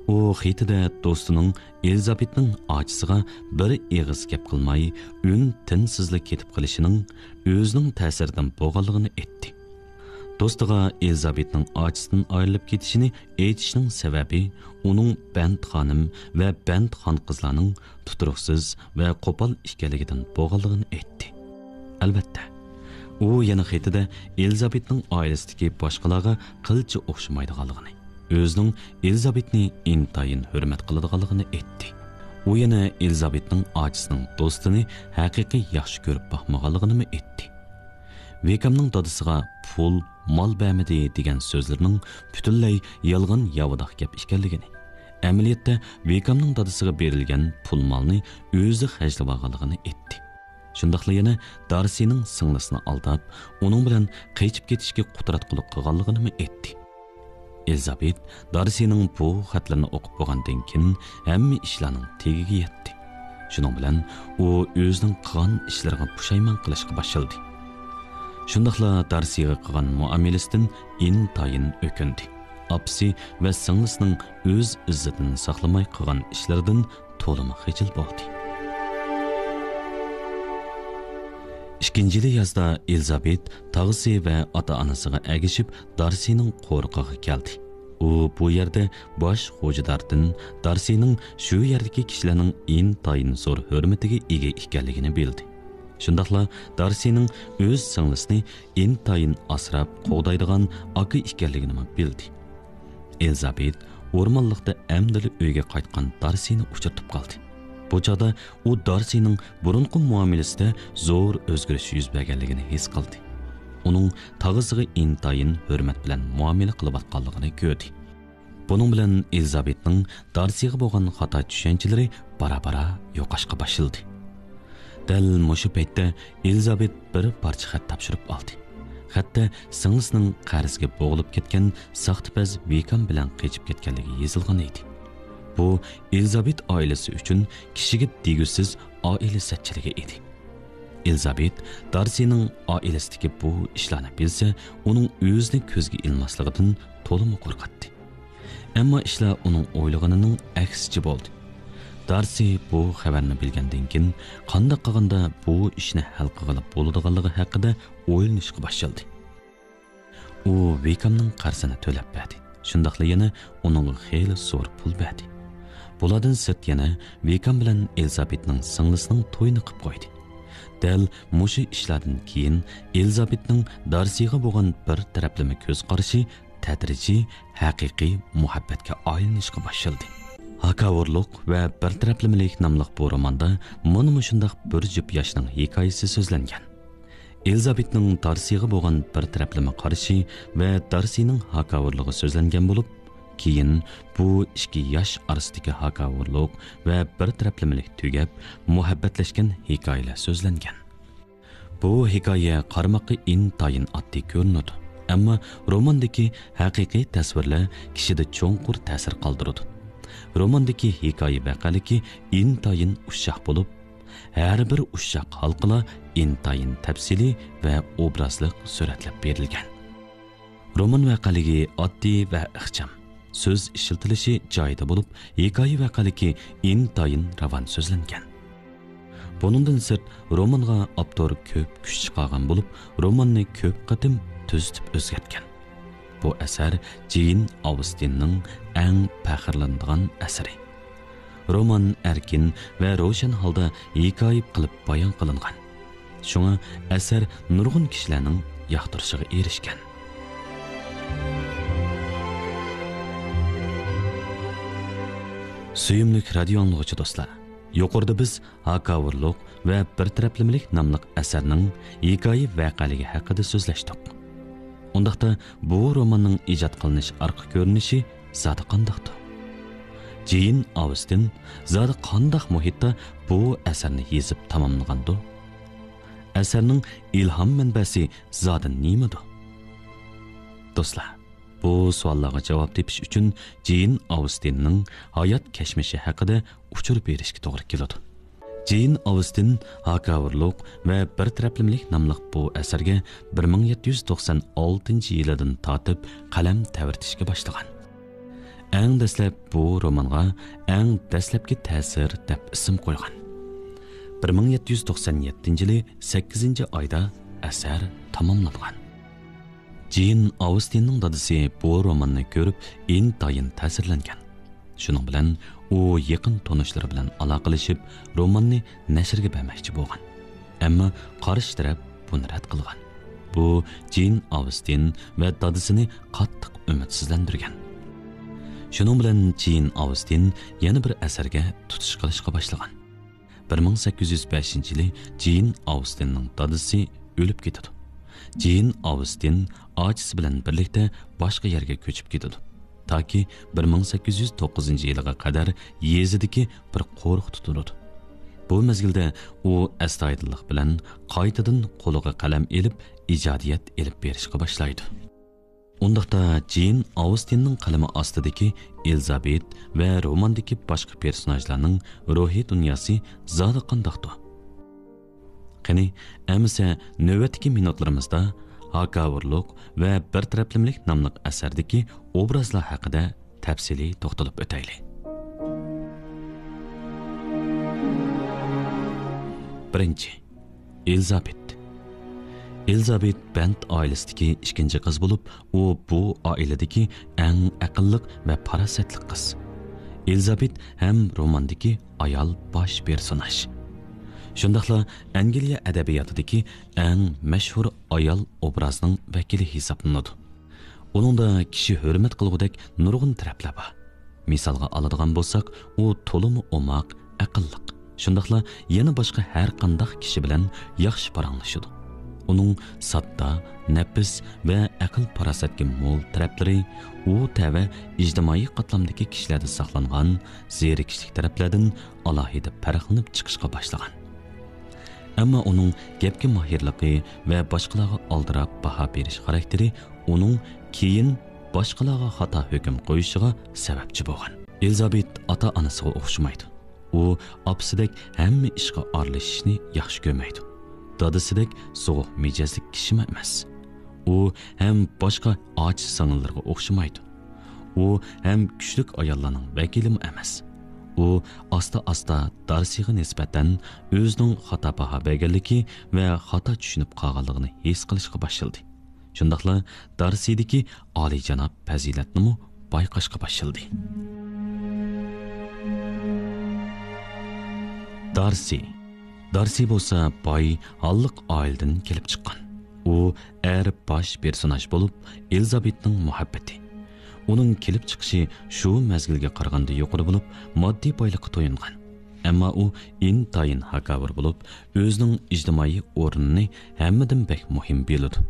ئۇ خېتىدە دوستىنىڭ ئېلىزابېتنىڭ ئاچىسىغا بىر ئېغىز گەپ قىلماي، ئۈن تىنسىزلا كېتىپ قېلىشىنىڭ ئۆزىنىڭ تەسىرىدىن بولغانلىقىنى ئېيتتى. دوستىغا ئېلىزابېتنىڭ ئاچىسىدىن ئايرىلىپ كېتىشىنى ئېيتىشنىڭ سەۋەبى ئۇنىڭ بەنت خانىم ۋە بەنت خانقىزلارنىڭ تۇتۇرۇقسىز ۋە قوپال ئىكەنلىكىدىن بولغانلىقىنى ئېيتتى. ئەلۋەتتە، ئۇ يەنە خېتىدە ئېلىزابېتنىڭ ئائىلىسىدىكى باشقىلارغا قىلچە ئوخشىمايدىغانلىقىنى، ئۆزىنىڭ ئېلىزابېتنى ئىنتايىن ھۆرمەت قىلىدىغانلىقىنى ئېيتتى. ئۇ يەنە ئېلىزابېتنىڭ ئاچىسىنىڭ دوستىنى ھەقىقىي ياخشى كۆرۈپ باقمىغانلىقىنىمۇ ئېيتتى. ۋىكامنىڭ دادىسىغا پۇل، مال بەرمىدى دېگەن سۆزلىرىنىڭ پۈتۈنلەي يالغان ياۋىداق گەپ ئىكەنلىكىنى، ئەمەلىيەتتە ۋىكامنىڭ دادىسىغا بېرىلگەن پۇل مالنى ئۆزى خەجلىۋالغانلىقىنى ئېيتتى. شۇنداقلا يەنە دارسىنىڭ سىڭلىسىنى ئالداپ، ئۇنىڭ بىلەن قېچىپ كېتىشكە قۇتراتقۇلۇق قىلغانلىقىنىمۇ ئېيتتى. ئېلىزابېت دارسىنىڭ بۇ خەتلىرىنى ئوقۇپ بولغاندىن كېيىن، ھەممە ئىشلارنىڭ تېگىگە يەتتى. شۇنىڭ بىلەن ئۇ ئۆزىنىڭ قىلغان ئىشلىرىغا پۇشايمان قىلىشقا باشلىدى. شۇنداقلا دارسىغا قىلغان مۇئامىلىسىدىن ئىنتايىن ئۆكۈندى. ئاپىسى ۋە سىڭلىسىنىڭ ئۆز ئىززىتىنى ساقلىماي قىلغان ئىشلىرىدىن تولىمۇ خىجىل بولدى. ئىككىنچى يىلى يازدا ئېلىزابېت تاغىسى ۋە ئاتا-ئانىسىغا ئەگىشىپ دارسىنىڭ قورۇقىغا كەلدى. ئۇ بۇ يەردە باش خوجىداردىن دارسىنىڭ شۇ يەردىكى كىشىلەرنىڭ ئىنتايىن زور ھۆرمىتىگە ئىگە ئىكەنلىكىنى بىلدى. شۇنداقلا دارسىنىڭ ئۆز سىڭلىسىنى ئىنتايىن ئاسراپ قوغدايدىغان ئاكا ئىكەنلىكىنىمۇ بىلدى. ئېلىزابېت ئورمانلىقتا ئەمدىلا ئۆيگە قايتقان دارسىنى ئۇچرىتىپ قالدى. بۇ چاغدا ئۇ دارسىنىڭ بۇرۇنقى مۇئامىلىسىدە زور ئۆزگىرىش يۈز بەرگەنلىكىنى ھېس قىلدى. ئۇنىڭ تاغىسىغا ئىنتايىن ھۆرمەت بىلەن مۇئامىلە قىلىۋاتقانلىقىنى كۆردى. بۇنىڭ بىلەن ئېلىزابېتنىڭ دارسىغا بولغان خاتا چۈشەنچىلىرى بارا-بارا يوقاشقا باشلىدى. دەل مۇشۇ پەيتتە ئېلىزابېت بىر پارچە خەت تاپشۇرۇپ ئالدى. خەتتە سىڭلىسىنىڭ قەرزگە بوغۇلۇپ كەتكەن ساختىپەز ۋىكام بىلەن قېچىپ كەتكەنلىكى يېزىلغان ئىدى. بۇ ئېلىزابېت ئائىلىسى ئۈچۈن كىشىگە دېگۈسىز ئائىلە سەتچىلىكى ئىدى. ئېلىزابېت دارسىنىڭ ئائىلىسىدىكى بۇ ئىشلارنى بىلسە، ئۇنىڭ ئۆزىنى كۆزگە ئىلماسلىقىدىن تولىمۇ قورقاتتى. ئەمما ئىشلار ئۇنىڭ ئويلىغىنىنىڭ ئەكسىچە بولدى. دارسى بۇ خەۋەرنى بىلگەندىن كېيىن، قانداق قىلغاندا بۇ ئىشنى ھەل قىلغىلى بولىدىغانلىقى ھەققىدە ئويلىنىشقا باشلىدى. ئۇ ۋىكامنىڭ قەرزىنى تۆلەپ بەردى. شۇنداقلا يەنە ئۇنىڭغا خېلى زور پۇل بەردى. بۇلاردىن سىرت يەنە ۋىكام بىلەن ئېلىزابېتنىڭ سىڭلىسىنىڭ تويىنى قىپ قويدى. دەل مۇشۇ ئىشلاردىن كېيىن ئېلىزابېتنىڭ دارسىغا بولغان بىر تەرەپلىمە كۆز قارىشى تەدرىجىي ھەقىقىي مۇھەببەتكە ئايلىنىشقا باشلىدى. ھاكاۋۇرلۇق ۋە بىر تەرەپلىمىلىك ناملىق بۇ روماندا مانا مۇشۇنداق بىر جۈپ ياشنىڭ ھېكايىسى سۆزلەنگەن. ئېلىزابېتنىڭ دارسىغا بولغان بىر تەرەپلىمە قارىشى ۋە دارسىنىڭ ھاكاۋۇرلۇقى سۆزلەنگەن بولۇپ، كېيىن بۇ ئىككى ياش ئارىسىدىكى ھاكاۋۇرلۇق ۋە بىر تەرەپلىمىلىك تۈگەپ، مۇھەببەتلەشكەن ھېكايىلەر سۆزلەنگەن. بۇ ھېكايە قارىماققا ئىنتايىن ئاددىي كۆرۈنىدۇ، ئەمما روماندىكى ھەقىقىي تەسۋىرلەر كىشىدە چوڭقۇر تەسىر قالدۇرىدۇ. روماندىكى ھېكايە ۋەقەلىكى ئىنتايىن ئۇششاق بولۇپ، ھەر بىر ئۇششاق ھالقىلار ئىنتايىن تەپسىلىي ۋە ئوبرازلىق سۈرەتلەپ بېرىلگەن. رومان ۋەقەلىكى ئاددىي ۋە ئىخچام، سۆز ئىشلىتىلىشى جايىدا بولۇپ، ھېكايە ۋەقەلىكى ئىنتايىن راۋان سۆزلەنگەن. بۇنىڭدىن سىرت، رومانغا ئاپتور كۆپ كۈچ چىقارغان بولۇپ، روماننى كۆپ قېتىم تۈزىتىپ ئۆزگەرتكەن. بۇ ئەسەر جېين ئاۋستىننىڭ ئەڭ پەخىرلىنىدىغان ئەسىرى. رومان ئەركىن ۋە روشەن ھالدا ھېكايە قىلىپ بايان قىلىنغان. شۇڭا ئەسەر نۇرغۇن كىشىلەرنىڭ ياقتۇرۇشىغا ئېرىشكەن. سۆيۈملۈك رادىيو ئاڭلىغۇچى دوستلار، يۇقىرىدا بىز ھاكاۋۇرلۇق ۋە بىر تەرەپلىمىلىك ناملىق ئەسەرنىڭ ھېكايە ۋەقەلىكى ھەققىدە سۆزلەشتۇق. ئۇنداقتا بۇ روماننىڭ ئىجاد قىلىنىش ئارقا كۆرۈنۈشى زادى قانداقتۇ؟ جېين ئاۋستىن زادى قانداق مۇھىتتا بۇ ئەسەرنى يېزىپ تاماملىغاندۇ؟ ئەسەرنىڭ ئىلھام مەنبەسى زادى نېمىدۇ؟ دوستلار، بۇ سوئاللارغا جاۋاب تېپىش ئۈچۈن جېين ئاۋستىننىڭ ھايات كەچمىشى ھەققىدە ئۇچۇر بېرىشكە توغرا كېلىدۇ. جېين ئاۋستىن ھاكاۋۇرلۇق ۋە بىر تەرەپلىمىلىك ناملىق بۇ ئەسەرگە بىر مىڭ يەتتە يۈز توقسان ئالتىنچى يىلىدىن تارتىپ قەلەم تەۋرىتىشكە باشلىغان. ئەڭ دەسلەپ بۇ رومانغا ئەڭ دەسلەپكى تەسىر دەپ ئىسىم قويغان. بىر مىڭ يەتتە يۈز توقسان يەتتىنچى يىلى سەككىزىنچى ئايدا ئەسەر تاماملانغان. جېين ئاۋستىننىڭ دادىسى بۇ روماننى كۆرۈپ ئىنتايىن تەسىرلەنگەن. شۇنىڭ بىلەن ئۇ يېقىن تونۇشلىرى بىلەن ئالاقىلىشىپ، روماننى نەشرگە بەرمەكچى بولغان. ئەمما قارشى تەرەپ بۇنى رەت قىلغان. بۇ جېين ئاۋستىن ۋە دادىسىنى قاتتىق ئۈمىدسىزلەندۈرگەن. شۇنىڭ بىلەن جېين ئاۋستىن يەنە بىر ئەسەرگە تۇتۇش قىلىشقا باشلىغان. بىر مىڭ سەككىز يۈز بەشىنچى يىلى جېين ئاۋستىننىڭ دادىسى ئۆلۈپ كېتىدۇ. جېين ئاۋستىن ئاچىسى بىلەن بىرلىكتە باشقا يەرگە كۆچۈپ كېتىدۇ. تاكى بىر مىڭ سەككىز يۈز توققۇزىنچى يىلىغا قەدەر يېزىدىكى بىر قورۇقتا تۇرىدۇ. بۇ مەزگىلدە ئۇ ئەستايىدىللىق بىلەن قايتىدىن قولىغا قەلەم ئېلىپ، ئىجادىيەت ئېلىپ بېرىشقا باشلايدۇ. ئۇنداقتا جېين ئاۋستىننىڭ قەلىمى ئاستىدىكى ئېلىزابېت ۋە روماندىكى باشقا پېرسوناژلارنىڭ روھىي دۇنياسى زادى قانداقتۇ؟ قېنى، ئەمىسە نۆۋەتتىكى مىنۇتلىرىمىزدا ھاكاۋۇرلۇق ۋە بىر تەرەپلىمىلىك ناملىق ئەسەردىكى ئوبرازلار ھەققىدە تەپسىلىي توختىلىپ ئۆتەيلى. بىرىنچى، ئېلىزابېت. ئېلىزابېت بەنت ئائىلىسىدىكى ئىككىنچى قىز بولۇپ، ئۇ بۇ ئائىلىدىكى ئەڭ ئەقىللىق ۋە پاراسەتلىك قىز. ئېلىزابېت ھەم روماندىكى ئايال باش پېرسوناژ، شۇنداقلا ئەنگلىيە ئەدەبىياتىدىكى ئەڭ مەشھۇر ئايال ئوبرازنىڭ ۋەكىلى ھېسابلىنىدۇ. ئۇنىڭدا كىشى ھۆرمەت قىلغۇدەك نۇرغۇن تەرەپلەر بار. مىسالغا ئالىدىغان بولساق، ئۇ تولىمۇ ئوماق، ئەقىللىق، شۇنداقلا يەنە باشقا ھەر قانداق كىشى بىلەن ياخشى پاراڭلىشىدۇ. ئۇنىڭ ساددا، نەپىس ۋە ئەقىل-پاراسەتكە مول تەرەپلىرى ئۇ تەۋە ئىجتىمائىي قاتلامدىكى كىشىلەردە ساقلانغان زېرىكىشلىك تەرەپلەردىن ئالاھىدە پەرقلىنىپ چىقىشقا باشلىغان. ئەمما ئۇنىڭ گەپكە ماھىرلىقى ۋە باشقىلارغا ئالدىراپ باھا بېرىش خاراكتېرى ئۇنىڭ كېيىن باشقىلارغا خاتا ھۆكۈم قويۇشىغا سەۋەبچى بولغان. ئېلىزابېت ئاتا-ئانىسىغا ئوخشىمايدۇ. ئۇ ئاپىسىدەك ھەممە ئىشقا ئارىلىشىشنى ياخشى كۆرمەيدۇ. دادىسىدەك سوغۇق مىجەزلىك كىشىمۇ ئەمەس. ئۇ ھەم باشقا ئاچا-سىڭىللىرىغا ئوخشىمايدۇ. ئۇ ھەم كۈچلۈك ئاياللارنىڭ ۋەكىلىمۇ ئەمەس. ئۇ ئاستا-ئاستا دارسىغا نىسبەتەن ئۆزىنىڭ خاتا باھا بەرگەنلىكى ۋە خاتا چۈشىنىپ قالغانلىقىنى ھېس قىلىشقا باشلىدى. شۇنداقلا دارسىدىكى ئالىيجاناب پەزىلەتنىمۇ بايقاشقا باشلىدى. دارسى. دارسى بولسا باي، ھاللىق ئائىلىدىن كېلىپ چىققان. ئۇ ئەر باش پېرسوناژ بولۇپ، ئېلىزابېتنىڭ مۇھەببىتى. ئۇنىڭ كېلىپ چىقىشى شۇ مەزگىلگە قارىغاندا يۇقىرى بولۇپ، ماددىي بايلىققا تويۇنغان. ئەمما ئۇ ئىنتايىن ھاكاۋۇر بولۇپ، ئۆزىنىڭ ئىجتىمائىي ئورنىنى ھەممىدىن بەك مۇھىم بىلىدۇ.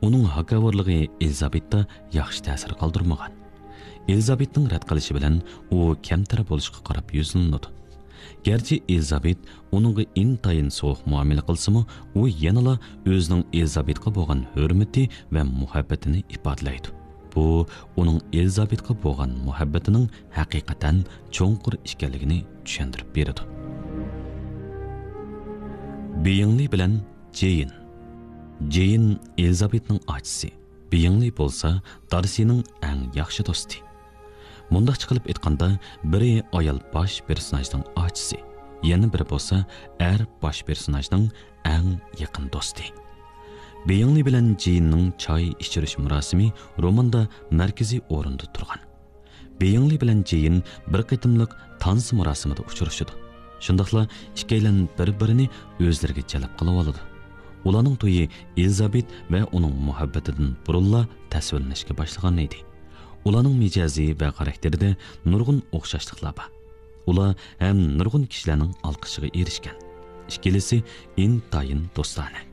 ئۇنىڭ ھاكاۋۇرلۇقى ئېلىزابېتتا ياخشى تەسىر قالدۇرمىغان. ئېلىزابېتنىڭ رەت قىلىشى بىلەن ئۇ كەمتەر بولۇشقا قاراپ يۈزلىنىدۇ. گەرچە ئېلىزابېت ئۇنىڭغا ئىنتايىن سوغۇق مۇئامىلە قىلسىمۇ، ئۇ يەنىلا ئۆزىنىڭ ئېلىزابېتقا بولغان ھۆرمىتى ۋە مۇھەببىتىنى ئىپادىلەيدۇ. بۇ ئۇنىڭ ئېلىزابېتقا بولغان مۇھەببىتىنىڭ ھەقىقەتەن چوڭقۇر ئىكەنلىكىنى چۈشەندۈرۈپ بېرىدۇ. بېيىڭلى بىلەن جېيىن. جېيىن ئېلىزابېتنىڭ ئاچىسى، بېيىڭلى بولسا دارسىنىڭ ئەڭ ياخشى دوستى. مۇنداقچە قىلىپ ئېيتقاندا، بىرى ئايال باش پېرسوناژنىڭ ئاچىسى، يەنە بىرى بولسا ئەر باش پېرسوناژنىڭ ئەڭ يېقىن دوستى. بېيىڭلى بىلەن جېيىننىڭ چاي ئىچۈرۈش مۇراسىمى روماندا مەركىزىي ئورۇندا تۇرغان. بېيىڭلى بىلەن جېيىن بىر قېتىملىق تانسا مۇراسىمىدا ئۇچرىشىدۇ. شۇنداقلا ئىككىيلەن بىر-بىرىنى ئۆزلىرىگە جەلپ قىلىۋالىدۇ. ئۇلارنىڭ تويى ئېلىزابېت ۋە ئۇنىڭ مۇھەببىتىدىن بۇرۇنلا تەسۋىرلىنىشكە باشلىغان ئىدى. ئۇلارنىڭ مىجەزى ۋە خاراكتېرىدە نۇرغۇن ئوخشاشلىقلار بار. ئۇلار ھەم نۇرغۇن كىشىلەرنىڭ ئالقىشىغا ئېرىشكەن. ئىككىلىسى ئىنتايىن دوستانە.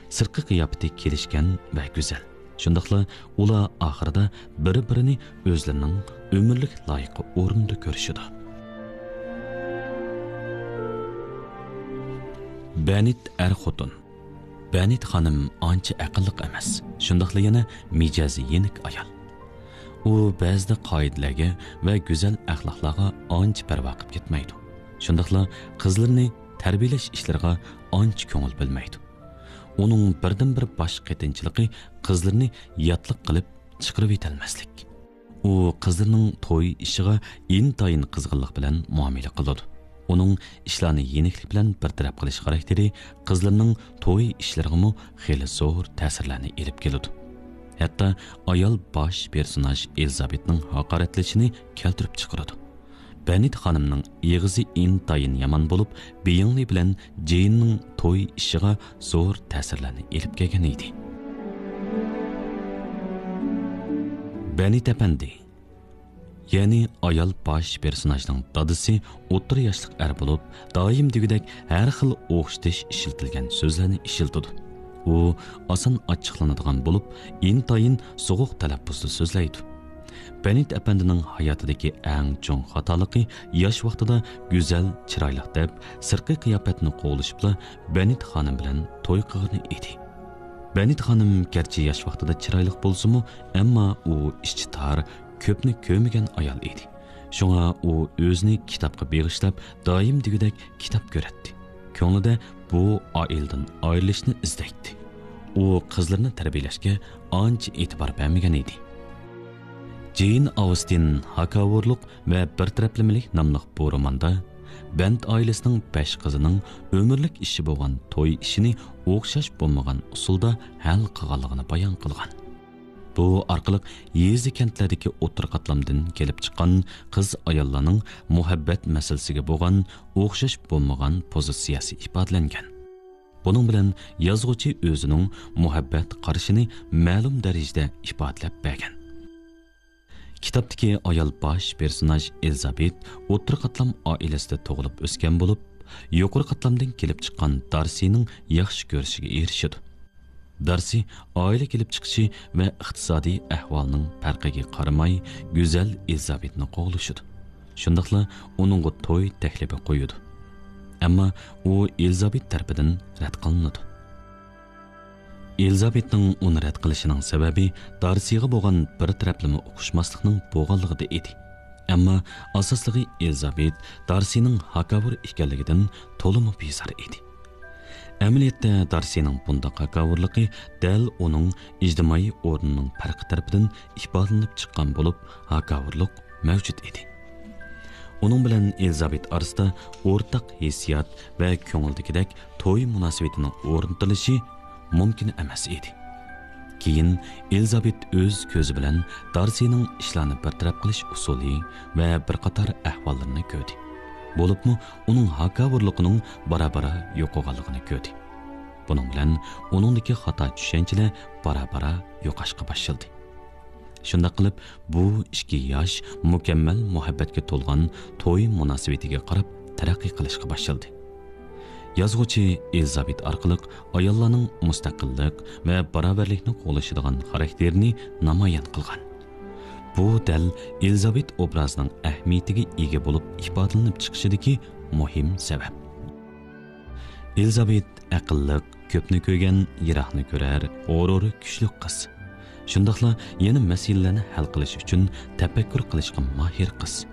سىرتقى قىياپىتى كېلىشكەن ۋە گۈزەل. شۇنداقلا ئۇلار ئاخىرىدا بىر-بىرىنى ئۆزلىرىنىڭ ئۆمۈرلۈك لايىقى ئورنىدا كۆرۈشىدۇ. بەنىت ئەر-خوتۇن. بەنىت خانىم ئانچە ئەقىللىق ئەمەس، شۇنداقلا يەنە مىجەزى يېنىك ئايال. ئۇ بەزىدە قائىدىلەرگە ۋە گۈزەل ئەخلاقلارغا ئانچە پەرۋا قىلىپ كەتمەيدۇ. شۇنداقلا قىزلىرىنى تەربىيەلەش ئىشلىرىغا ئانچە كۆڭۈل بۆلمەيدۇ. ئۇنىڭ بىردىنبىر باش قېتىنچىلىقى قىزلىرىنى ياتلىق قىلىپ چىقىرىۋېتەلمەسلىك. ئۇ قىزلىرىنىڭ توي ئىشىغا ئىنتايىن قىزغىنلىق بىلەن مۇئامىلە قىلىدۇ. ئۇنىڭ ئىشلارنى يېنىكلىك بىلەن بىر تەرەپ قىلىش خاراكتېرى قىزلىرىنىڭ توي ئىشلىرىغىمۇ خېلى زور تەسىرلەرنى ئېلىپ كېلىدۇ. ھەتتا ئايال باش پېرسوناژ ئېلىزابېتنىڭ ھاقارەتلىشىنى كەلتۈرۈپ چىقىرىدۇ. بەنت خانىمنىڭ ئېغىزى ئىنتايىن يامان بولۇپ، بېيىڭلى بىلەن جېيننىڭ توي ئىشىغا زور تەسىرلەرنى ئېلىپ كەلگەن ئىدى. بەنت ئەپەندى، يەنى ئايال باش پېرسوناژنىڭ دادىسى ئوتتۇرا ياشلىق ئەر بولۇپ، دائىم دېگۈدەك ھەر خىل ئوخشىتىش ئىشلىتىلگەن سۆزلەرنى ئىشلىتىدۇ. ئۇ ئاسان ئاچچىقلىنىدىغان بولۇپ، ئىنتايىن سوغۇق تەلەپپۇزدا سۆزلەيدۇ. بەنت ئەپەندىنىڭ ھاياتىدىكى ئەڭ چوڭ خاتالىقى ياش ۋاقتىدا گۈزەل، چىرايلىق دەپ، سىرتقى قىياپەتنى قوغلىشىپلا بەنت خانىم بىلەن توي قىلغىنى ئىدى. بەنت خانىم گەرچە ياش ۋاقتىدا چىرايلىق بولسىمۇ، ئەمما ئۇ ئىچى تار، كۆپنى كۆرمىگەن ئايال ئىدى. شۇڭا ئۇ ئۆزىنى كىتابقا بېغىشلاپ، دائىم دېگۈدەك كىتاب كۆرەتتى. كۆڭلىدە بۇ ئائىلىدىن ئايرىلىشنى ئىزدەيتتى. ئۇ قىزلىرىنى تەربىيەلەشكە ئانچە ئېتىبار بەرمىگەن ئىدى. جېين ئاۋستىن ھاكاۋۇرلۇق ۋە بىر تەرەپلىمىلىك ناملىق بۇ روماندا بەنت ئائىلىسىنىڭ بەش قىزىنىڭ ئۆمۈرلۈك ئىشى بولغان توي ئىشىنى ئوخشاش بولمىغان ئۇسۇلدا ھەل قىلغانلىقىنى بايان قىلغان. بۇ ئارقىلىق يېزا كەنتلەردىكى ئوتتۇرا قاتلامدىن كېلىپ چىققان قىز ئاياللارنىڭ مۇھەببەت مەسىلىسىگە بولغان ئوخشاش بولمىغان پوزىتسىيەسى ئىپادىلەنگەن. بۇنىڭ بىلەن يازغۇچى ئۆزىنىڭ مۇھەببەت قارىشىنى مەلۇم دەرىجىدە ئىپادىلەپ بەرگەن. كىتابتىكى ئايال باش پېرسوناژ ئېلىزابېت ئوتتۇرا قاتلام ئائىلىسىدە تۇغۇلۇپ ئۆسكەن بولۇپ، يۇقىرى قاتلامدىن كېلىپ چىققان دارسىنىڭ ياخشى كۆرۈشىگە ئېرىشىدۇ. دارسى ئائىلە كېلىپ چىقىشى ۋە ئىقتىسادىي ئەھۋالنىڭ پەرقىگە قارىماي، گۈزەل ئېلىزابېتنى قوغلىشىدۇ. شۇنداقلا ئۇنىڭغا توي تەكلىپى قويىدۇ. ئەمما ئۇ ئېلىزابېت تەرىپىدىن رەت قىلىنىدۇ. ئېلىزابېتنىڭ ئۇنى رەت قىلىشىنىڭ سەۋەبى دارسىغا بولغان بىر تەرەپلىمە ئۇقۇشماسلىقنىڭ بولغانلىقىدا ئىدى. ئەمما ئاساسلىقى ئېلىزابېت دارسىنىڭ ھاكاۋۇر ئىكەنلىكىدىن تولىمۇ بىزار ئىدى. ئەمەلىيەتتە دارسىنىڭ بۇنداق ھاكاۋۇرلۇقى دەل ئۇنىڭ ئىجتىمائىي ئورنىنىڭ پەرقى تەرىپىدىن ئىپادىلىنىپ چىققان بولۇپ، ھاكاۋۇرلۇق مەۋجۇت ئىدى. ئۇنىڭ بىلەن ئېلىزابېت ئارىسىدا ئورتاق ھېسسىيات ۋە كۆڭۈلدىكىدەك توي مۇناسىۋىتىنىڭ ئورنىتىلىشى مۇمكىن ئەمەس ئىدى. كېيىن ئېلىزابېت ئۆز كۆزى بىلەن دارسىنىڭ ئىشلارنى بىر تەرەپ قىلىش ئۇسۇلى ۋە بىر قاتار ئەھۋاللىرىنى كۆردى. بولۇپمۇ ئۇنىڭ ھاكاۋۇرلۇقىنىڭ بارا-بارا يوقىغانلىقىنى كۆردى. بۇنىڭ بىلەن ئۇنىڭدىكى خاتا چۈشەنچىلەر بارا-بارا يوقاشقا باشلىدى. شۇنداق قىلىپ، بۇ ئىككى ياش مۇكەممەل مۇھەببەتكە تولغان توي مۇناسىۋىتىگە قاراپ تەرەققىي قىلىشقا باشلىدى. يازغۇچى ئېلىزابېت ئارقىلىق ئاياللارنىڭ مۇستەقىللىق ۋە باراۋەرلىكنى قوغلىشىدىغان خاراكتېرىنى نامايان قىلغان. بۇ دەل ئېلىزابېت ئوبرازىنىڭ ئەھمىيىتىگە ئىگە بولۇپ ئىپادىلىنىپ چىقىشىدىكى مۇھىم سەۋەب. ئېلىزابېت ئەقىللىق، كۆپنى كۆرگەن، يىراقنى كۆرەر، غۇرۇرى كۈچلۈك قىز. شۇنداقلا يەنە مەسىلىلەرنى ھەل قىلىش ئۈچۈن تەپەككۇر قىلىشقا ماھىر قىز.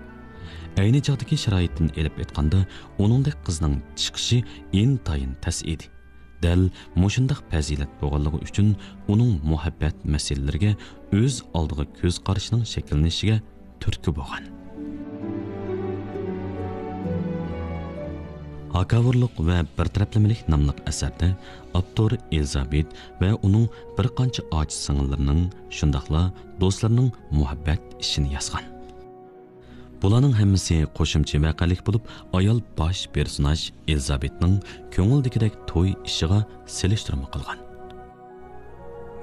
ئەينى چاغدىكى شارائىتتىن ئېلىپ ئېيتقاندا، ئۇنىڭدەك قىزنىڭ چىقىشى ئىنتايىن تەس ئىدى. دەل مۇشۇنداق پەزىلەت بولغانلىقى ئۈچۈن ئۇنىڭ مۇھەببەت مەسىلىلىرىگە ئۆز ئالدىغا كۆز قارىشىنىڭ شەكىللىنىشىگە تۈرتكە بولغان. ھاكاۋۇرلۇق ۋە بىر تەرەپلىمىلىك ناملىق ئەسەردە ئاپتور ئېلىزابېت ۋە ئۇنىڭ بىر قانچە ئاچا سىڭىللىرىنىڭ، شۇنداقلا دوستلىرىنىڭ مۇھەببەت ئىشىنى يازغان. بۇلارنىڭ ھەممىسى قوشۇمچە ۋەقەلىك بولۇپ، ئايال باش پېرسوناژ ئېلىزابېتنىڭ كۆڭۈلدىكىدەك توي ئىشىغا سېلىشتۇرما قىلغان.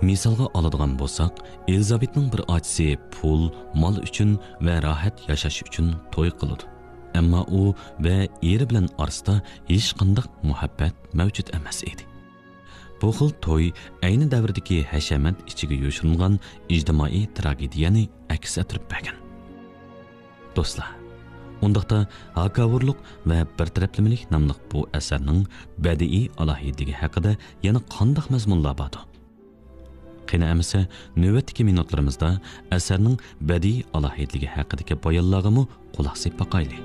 مىسالغا ئالىدىغان بولساق، ئېلىزابېتنىڭ بىر ئاچىسى پۇل، مال ئۈچۈن ۋە راھەت ياشاش ئۈچۈن توي قىلىدۇ. ئەمما ئۇ ۋە ئېرى بىلەن ئارىسىدا ھېچقانداق مۇھەببەت مەۋجۇت ئەمەس ئىدى. بۇ خىل توي ئەينى دەۋردىكى ھەشەمەت ئىچىگە يوشۇرۇنغان ئىجتىمائىي تراگېدىيەنى ئەكس ئەتتۈرۈپ بەرگەن. دوستلار، ئۇنداقتا ھاكاۋۇرلۇق ۋە بىر تەرەپلىمىلىك ناملىق بۇ ئەسەرنىڭ بەدىئىي ئالاھىدىلىكى ھەققىدە يەنە قانداق مەزمۇنلار باردۇ؟ قېنى ئەمىسە، نۆۋەتتىكى مىنۇتلىرىمىزدا ئەسەرنىڭ بەدىئىي ئالاھىدىلىكى ھەققىدىكى بايانلارغىمۇ قۇلاق سېلىپ باقايلى.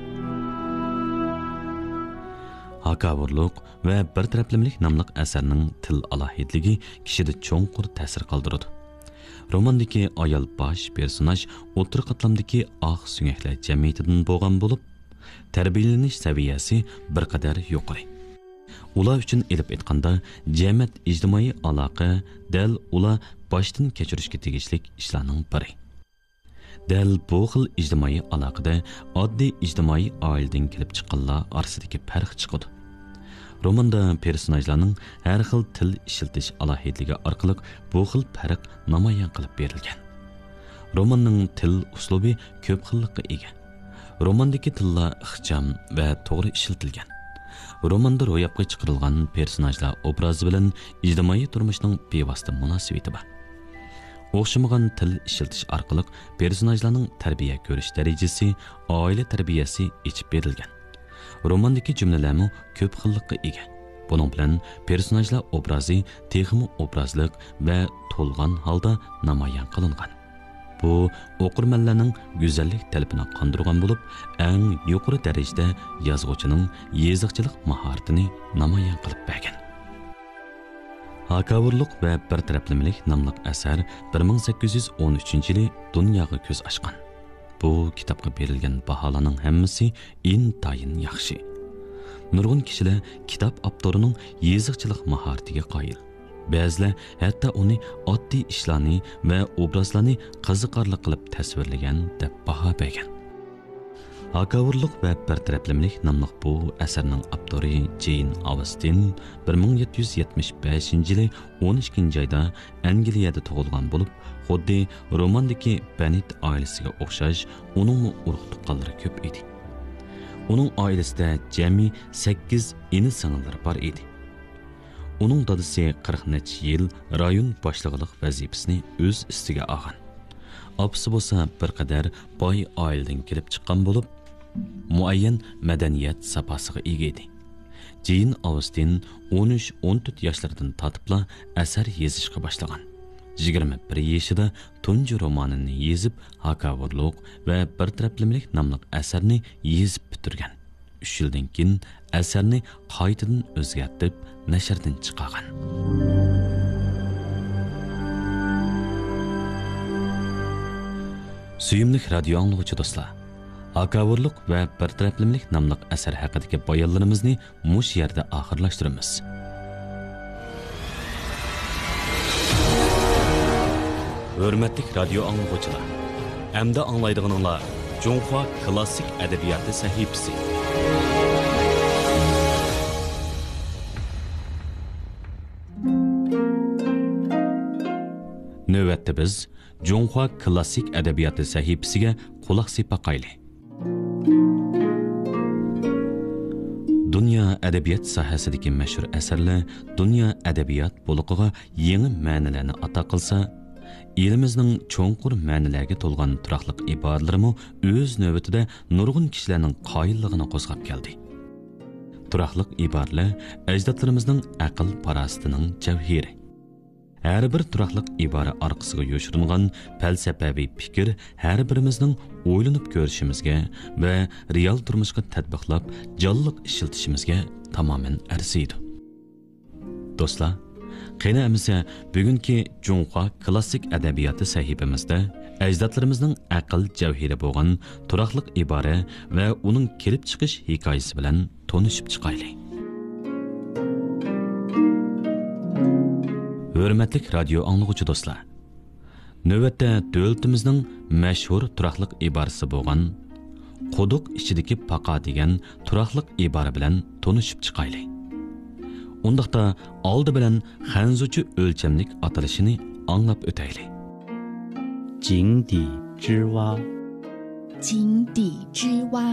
ھاكاۋۇرلۇق ۋە بىر تەرەپلىمىلىك ناملىق ئەسەرنىڭ تىل ئالاھىدىلىكى كىشىدە چوڭقۇر تەسىر قالدۇرىدۇ. روماندىكى ئايال باش پېرسوناژ ئوتتۇرا قاتلامدىكى ئاق سۆڭەكلەر جەمئىيىتىدىن بولغان بولۇپ، تەربىيەلىنىش سەۋىيەسى بىر قەدەر يۇقىرى. ئۇلار ئۈچۈن ئېلىپ ئېيتقاندا، جەمەت ئىجتىمائىي ئالاقە دەل ئۇلار باشتىن كەچۈرۈشكە تېگىشلىك ئىشلارنىڭ بىرى. دەل بۇ خىل ئىجتىمائىي ئالاقىدە ئاددىي ئىجتىمائىي ئائىلىدىن كېلىپ چىققانلار ئارىسىدىكى پەرق چىقىدۇ. روماندا پېرسوناژلارنىڭ ھەر خىل تىل ئىشلىتىش ئالاھىدىلىكى ئارقىلىق بۇ خىل پەرق نامايان قىلىپ بېرىلگەن. روماننىڭ تىل ئۇسلۇبى كۆپ خىللىققا ئىگە. روماندىكى تىللار ئىخچام ۋە توغرا ئىشلىتىلگەن. روماندا روياپقا چىقىرىلغان پېرسوناژلار ئوبرازى بىلەن ئىجتىمائىي تۇرمۇشنىڭ بىۋاسىتە مۇناسىۋىتى بار. ئوخشىمىغان تىل ئىشلىتىش ئارقىلىق پېرسوناژلارنىڭ تەربىيە كۆرۈش دەرىجىسى، ئائىلە تەربىيەسى ئېچىپ بېرىلگەن. روماندىكى جۈملىلەرمۇ كۆپ خىللىققا ئىگە. بۇنىڭ بىلەن پېرسوناژلار ئوبرازى تېخىمۇ ئوبرازلىق ۋە تولغان ھالدا نامايان قىلىنغان. بۇ ئوقۇرمەنلەرنىڭ گۈزەللىك تەلىپىنى قاندۇرغان بولۇپ، ئەڭ يۇقىرى دەرىجىدە يازغۇچىنىڭ يېزىقچىلىق ماھارىتىنى نامايان قىلىپ بەرگەن. ھاكاۋۇرلۇق ۋە بىر تەرەپلىمىلىك ناملىق ئەسەر بىر مىڭ سەككىز يۈز ئون ئۈچىنچى يىلى دۇنياغا كۆز ئاچقان. بۇ كىتابقا بېرىلگەن باھالارنىڭ ھەممىسى ئىنتايىن ياخشى. نۇرغۇن كىشىلەر كىتاب ئاپتورىنىڭ يېزىقچىلىق ماھارىتىگە قايىل. بەزىلەر ھەتتا ئۇنى ئاددىي ئىشلارنى ۋە ئوبرازلارنى قىزىقارلىق قىلىپ تەسۋىرلىگەن دەپ باھا بەرگەن. ھاكاۋۇرلۇق ۋە بىر تەرەپلىمىلىك ناملىق بۇ ئەسەرنىڭ ئاپتورى جېين ئاۋستىن بىر مىڭ يەتتە يۈز يەتمىش بەشىنچى يىلى ئون ئىككىنچى ئايدا ئەنگلىيەدە تۇغۇلغان بولۇپ، خۇددى روماندىكى بەننېت ئائىلىسىگە ئوخشاش، ئۇنىڭمۇ ئۇرۇق-تۇغقانلىرى كۆپ ئىدى. ئۇنىڭ ئائىلىسىدە جەمئىي سەككىز ئىنى-سىڭىللىرى بار ئىدى. ئۇنىڭ دادىسى قىرىق نەچچە يىل رايون باشلىقلىق ۋەزىپىسىنى ئۆز ئۈستىگە ئالغان. ئاپىسى بولسا بىر قەدەر باي ئائىلىدىن كېلىپ چىققان بولۇپ، مۇئەييەن مەدەنىيەت ساپاسىغا ئىگە ئىدى. جېين ئاۋستىن ئون ئۈچ، ئون تۆت ياشلىرىدىن تارتىپلا ئەسەر يېزىشقا باشلىغان. يىگىرمە بىر يېشىدا تۇنجى رومانىنى يېزىپ، ھاكاۋۇرلۇق ۋە بىر تەرەپلىمىلىك ناملىق ئەسەرنى يېزىپ پۈتتۈرگەن. ئۈچ يىلدىن كېيىن ئەسەرنى قايتىدىن ئۆزگەرتىپ، نەشردىن چىقارغان. سۆيۈملۈك رادىيو ئاڭلىغۇچى دوستلار، ھاكاۋۇرلۇق ۋە بىر تەرەپلىمىلىك ناملىق ئەسەر ھەققىدىكى بايانلىرىمىزنى مۇشۇ يەردە ئاخىرلاشتۇرىمىز. ھۆرمەتلىك رادىيو ئاڭلىغۇچىلار، ئەمدى ئاڭلايدىغىنىڭلار جۇڭخۇا كلاسسىك ئەدەبىياتى سەھىپىسى. نۆۋەتتە بىز جۇڭخۇا كلاسسىك ئەدەبىياتى سەھىپىسىگە قۇلاق سېلىپ باقايلى. دۇنيا ئەدەبىيات ساھەسىدىكى مەشھۇر ئەسەرلەر دۇنيا ئەدەبىيات بولىقىغا يېڭى مەنىلەرنى ئاتا قىلسا، ئېلىمىزنىڭ چوڭقۇر مەنىلەرگە تولغان تۇراقلىق ئىبارىلىرىمۇ ئۆز نۆۋىتىدە نۇرغۇن كىشىلەرنىڭ قايىللىقىنى قوزغاپ كەلدى. تۇراقلىق ئىبارىلەر ئەجدادلىرىمىزنىڭ ئەقىل-پاراسىتىنىڭ جەۋھىرى. ھەر بىر تۇراقلىق ئىبارە ئارقىسىغا يوشۇرۇنغان پەلسەپەۋى پىكىر ھەر بىرىمىزنىڭ ئويلىنىپ كۆرۈشىمىزگە ۋە رېئال تۇرمۇشقا تەتبىقلاپ، جانلىق ئىشلىتىشىمىزگە تامامەن ئەرزىيدۇ. دوستلار، قېنى ئەمىسە بۈگۈنكى جۇڭخۇا كلاسسىك ئەدەبىياتى سەھىپىمىزدە ئەجدادلىرىمىزنىڭ ئەقىل جەۋھىرى بولغان تۇراقلىق ئىبارە ۋە ئۇنىڭ كېلىپ چىقىش ھېكايىسى بىلەن تونۇشۇپ چىقايلى. ھۆرمەتلىك رادىيو ئاڭلىغۇچى دوستلار، نۆۋەتتە دۆلىتىمىزنىڭ مەشھۇر تۇراقلىق ئىبارىسى بولغان «قۇدۇق ئىچىدىكى پاقا» دېگەن تۇراقلىق ئىبارە بىلەن تونۇشۇپ چىقايلى. ئۇنداقتا ئالدى بىلەن خەنزۇچە ئۆلچەملىك ئاتىلىشىنى ئاڭلاپ ئۆتەيلى. 井底之蛙. 井底之蛙.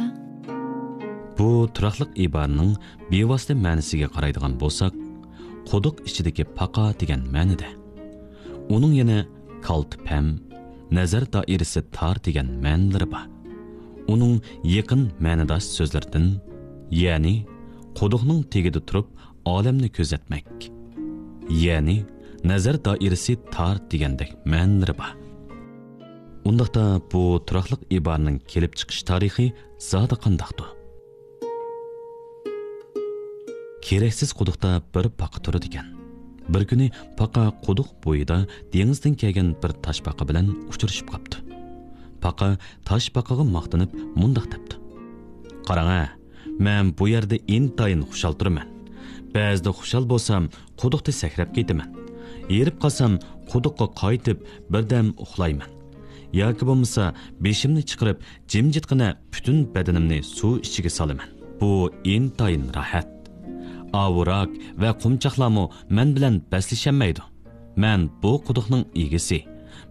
بۇ تۇراقلىق ئىبارىنىڭ بىۋاسىتە مەنىسىگە قارايدىغان بولساق، قۇدۇق ئىچىدىكى پاقا دېگەن مەنىدە. ئۇنىڭ يەنە كالتە پەم، نەزەر دائىرىسى تار دېگەن مەنىلىرى بار. ئۇنىڭ يېقىن مەنىداش سۆزلىرىدىن، يەنى قۇدۇقنىڭ تېگىدە تۇرۇپ ئالەمنى كۆزەتمەك، يەنى نەزەر دائىرىسى تار دېگەندەك مەنىلىرى بار. ئۇنداقتا بۇ تۇراقلىق ئىبارىنىڭ كېلىپ چىقىش تارىخى زادى قانداقتۇ؟ كېرەكسىز قۇدۇقتا بىر پاقا تۇرىدىكەن. بىر كۈنى پاقا قۇدۇق بويىدا دېڭىزدىن كەلگەن بىر تاشپاقا بىلەن ئۇچرىشىپ قاپتۇ. پاقا تاشپاقىغا ماختىنىپ مۇنداق دەپتۇ: «قاراڭە، مەن بۇ يەردە ئىنتايىن خۇشال تۇرىمەن. بەزىدە خۇشال بولسام، قۇدۇقتا سەكرەپ كېتىمەن. ھېرىپ قالسام، قۇدۇققا قايتىپ، بىردەم ئۇخلايمەن. ياكى بولمىسا، بېشىمنى چىقىرىپ، جىمجىتقىنە پۈتۈن بەدىنىمنى سۇ ئىچىگە سالىمەن. بۇ ئىنتايىن راھەت. ئاۋۇ راك ۋە قۇمچاقلارمۇ مەن بىلەن بەسلىشەلمەيدۇ. مەن بۇ قۇدۇقنىڭ ئىگىسى.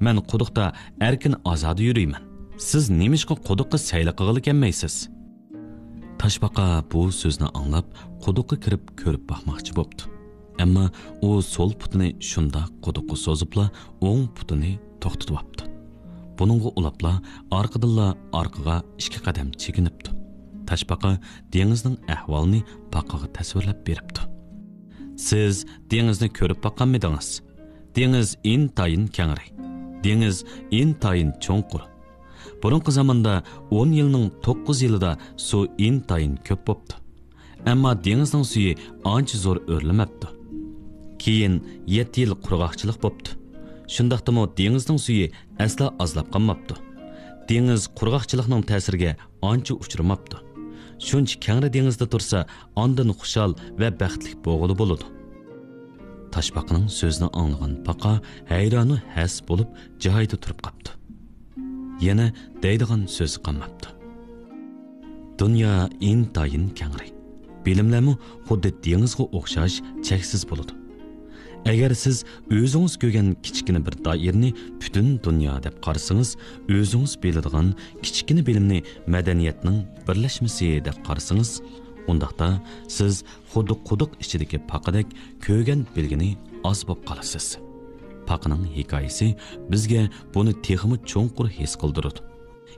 مەن قۇدۇقتا ئەركىن ئازادە يۈرىمەن. سىز نېمىشقا قۇدۇققا سەيلە قىلغىلى كەلمەيسىز؟ تاشپاقا بۇ سۆزنى ئاڭلاپ، قۇدۇققا كىرىپ كۆرۈپ باقماقچى بوپتۇ. ئەمما ئۇ سول پۇتىنى شۇنداق قۇدۇققا سوزۇپلا، ئوڭ پۇتىنى توختىتىۋاپتۇ. بۇنىڭغا ئۇلاپلا ئارقىدىنلا ئارقىغا ئىككى قەدەم چېكىنىپتۇ. تاشپاقا دېڭىزنىڭ ئەھۋالىنى پاقىغا تەسۋىرلەپ بېرىپتۇ. سىز دېڭىزنى كۆرۈپ باققانمىدىڭىز؟ دېڭىز ئىنتايىن كەڭرى. دېڭىز ئىنتايىن چوڭقۇر. بۇرۇنقى زاماندا ئون يىلنىڭ توققۇز يىلىدا سۇ ئىنتايىن كۆپ بوپتۇ. ئەمما دېڭىزنىڭ سۈيى ئانچە زور ئۆرلىمەپتۇ. كېيىن يەتتە يىل قۇرغاقچىلىق بوپتۇ. شۇنداقتىمۇ دېڭىزنىڭ سۈيى ئەسلا ئازلاپ قالماپتۇ. دېڭىز قۇرغاقچىلىقنىڭ تەسىرىگە ئانچە ئۇچرىماپتۇ. شۇنچە كەڭرى دېڭىزدا تۇرسا، ئاندىن خۇشال ۋە بەختلىك بولغىلى بولىدۇ. تاشپاقىنىڭ سۆزىنى ئاڭلىغان پاقا ھەيرانۇ ھەس بولۇپ جايىدا تۇرۇپ قاپتۇ. يەنە دەيدىغان سۆزى قالماپتۇ. دۇنيا ئىنتايىن كەڭرى. بىلىملەرمۇ خۇددى دېڭىزغا ئوخشاش چەكسىز بولىدۇ. ئەگەر سىز ئۆزىڭىز كۆرگەن كىچىككىنە بىر دائىرىنى پۈتۈن دۇنيا دەپ قارىسىڭىز، ئۆزىڭىز بىلىدىغان كىچىككىنە بىلىمنى مەدەنىيەتنىڭ بىرلەشمىسى دەپ قارىسىڭىز، ئۇنداقتا سىز خۇددى قۇدۇق ئىچىدىكى پاقىدەك كۆرگەن بىلگىنى ئاز بولۇپ قالىسىز. پاقىنىڭ ھېكايىسى بىزگە بۇنى تېخىمۇ چوڭقۇر ھېس قىلدۇرىدۇ.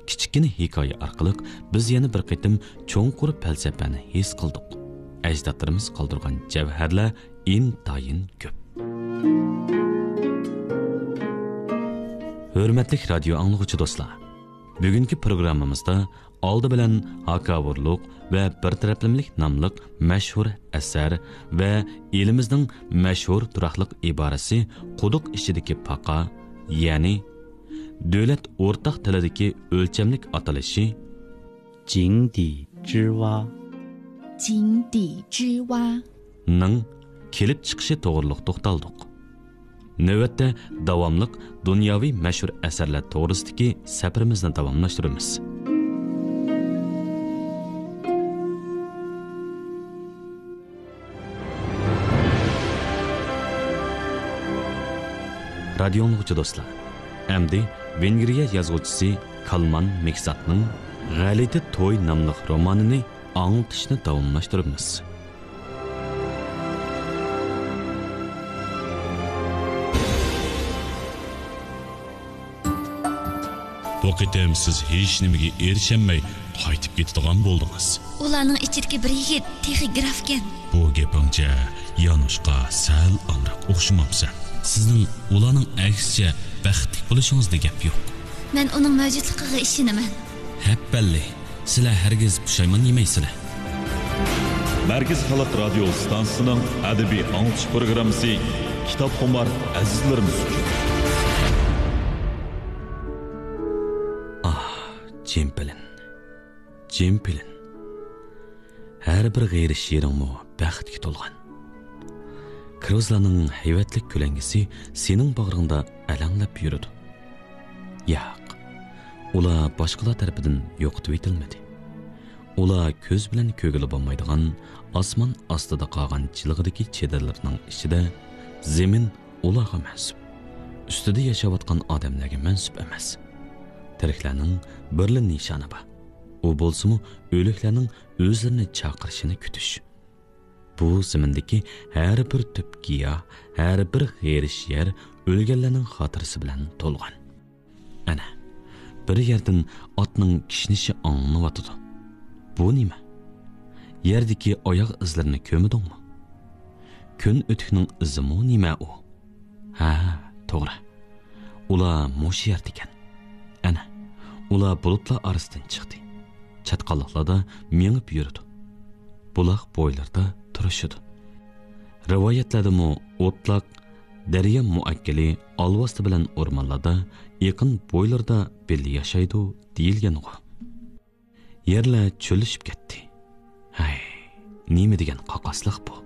كىچىككىنە ھېكايە ئارقىلىق بىز يەنە بىر قېتىم چوڭقۇر پەلسەپىنى ھېس قىلدۇق. ئەجدادلىرىمىز قالدۇرغان جەۋھەرلەر ئىنتايىن كۆپ. ھۆرمەتلىك رادىيو ئاڭلىغۇچى دوستلار، بۈگۈنكى پروگراممىمىزدا ئالدى بىلەن ھاكاۋۇرلۇق ۋە بىر تەرەپلىمىلىك ناملىق مەشھۇر ئەسەر ۋە ئېلىمىزنىڭ مەشھۇر تۇراقلىق ئىبارىسى قۇدۇق ئىچىدىكى پاقا، يەنى دۆلەت ئورتاق تىلىدىكى ئۆلچەملىك ئاتىلىشى 井底之蛙. 井底之蛙. نىڭ كېلىپ چىقىشى توغرىلىق توختالدۇق. نۆۋەتتە داۋاملىق دۇنياۋى مەشھۇر ئەسەرلەر توغرىسىدىكى سەپىرىمىزنى داۋاملاشتۇرىمىز. رادىيو ئاڭلىغۇچى دوستلار، ئەمدى ۋېنگرىيە يازغۇچىسى كالمان مېكساتنىڭ غەلىتە توي ناملىق رومانىنى ئاڭلىتىشنى داۋاملاشتۇرىمىز. بۇ قېتىم سىز ھېچنېمىگە ئېرىشەلمەي قايتىپ كېتىدىغان بولدىڭىز. ئۇلارنىڭ ئىچىدىكى بىر يىگىت تېخى گرافكەن. بۇ گېپىڭچە يانۇشقا سەل ئامراق ئوخشىمامسەن؟ سىزنىڭ ئۇلارنىڭ ئەكسىچە بەختلىك بولۇشىڭىزدا گەپ يوق. مەن ئۇنىڭ مەۋجۇتلۇقىغا ئىشىنىمەن. ھەپپەللى، سىلەر ھەرگىز پۇشايمان يېمەيسىلەر. مەركىزىي خەلق رادىيو ئىستانسىسىنىڭ ئەدەبىي ئاڭلىتىش پروگراممىسى كىتابخۇمار ئەزىزلىرىمىز ئۈچۈن. ئاھ، جىم پېلىن، جىم پېلىن. ھەر بىر غېرىب شېئىرىڭمۇ بەختكە تولغان. كىروزلارنىڭ ھەيۋەتلىك كۆلەڭگىسى سېنىڭ باغرىڭدا ئەلەڭلەپ يۈرىدۇ. ياق، ئۇلار باشقىلار تەرىپىدىن يوقىتىۋېتىلمىدى. ئۇلار كۆز بىلەن كۆرگىلى بولمايدىغان ئاسمان ئاستىدا قالغان جىلغىدىكى چېدىرلىرىنىڭ ئىچىدە. زېمىن ئۇلارغا مەنسۇپ. ئۈستىدە ياشاۋاتقان ئادەملەرگە مەنسۇپ ئەمەس. تىرىكلەرنىڭ بىرلا نىشانى بار. ئۇ بولسىمۇ ئۆلۈكلەرنىڭ ئۆزلىرىنى چاقىرىشىنى كۈتۈش. بۇ زېمىندىكى ھەر بىر تۈپ گىياھ، ھەر بىر غېرىب يەر ئۆلگەنلەرنىڭ خاتىرىسى بىلەن تولغان. ئەنە، بىر يەردىن ئاتنىڭ كىشنىشى ئاڭلىنىۋاتىدۇ. بۇ نېمە؟ يەردىكى ئاياغ ئىزلىرىنى كۆرمىدىڭمۇ؟ كۆن ئۆتۈكنىڭ ئىزىمۇ نېمە ئۇ؟ ھە، توغرا. ئۇلار مۇشۇ يەردىكەن. ئەنە، ئۇلار بۇلۇتلار ئارىسىدىن چىقتى. چاتقاللىقلاردا مېڭىپ يۈرىدۇ. بۇلاق بويلىرىدا تۇرۇشىدۇ. رىۋايەتلەردىمۇ ئوتلاق، دەريا مۇئەككىلى ئالۋاستى بىلەن ئورمانلاردا، ئېقىن بويلىرىدا بىللە ياشايدۇ دېيىلگەنغۇ. يەرلەر چۆللىشىپ كەتتى. ھەي، نېمە دېگەن قاقاسلىق بۇ!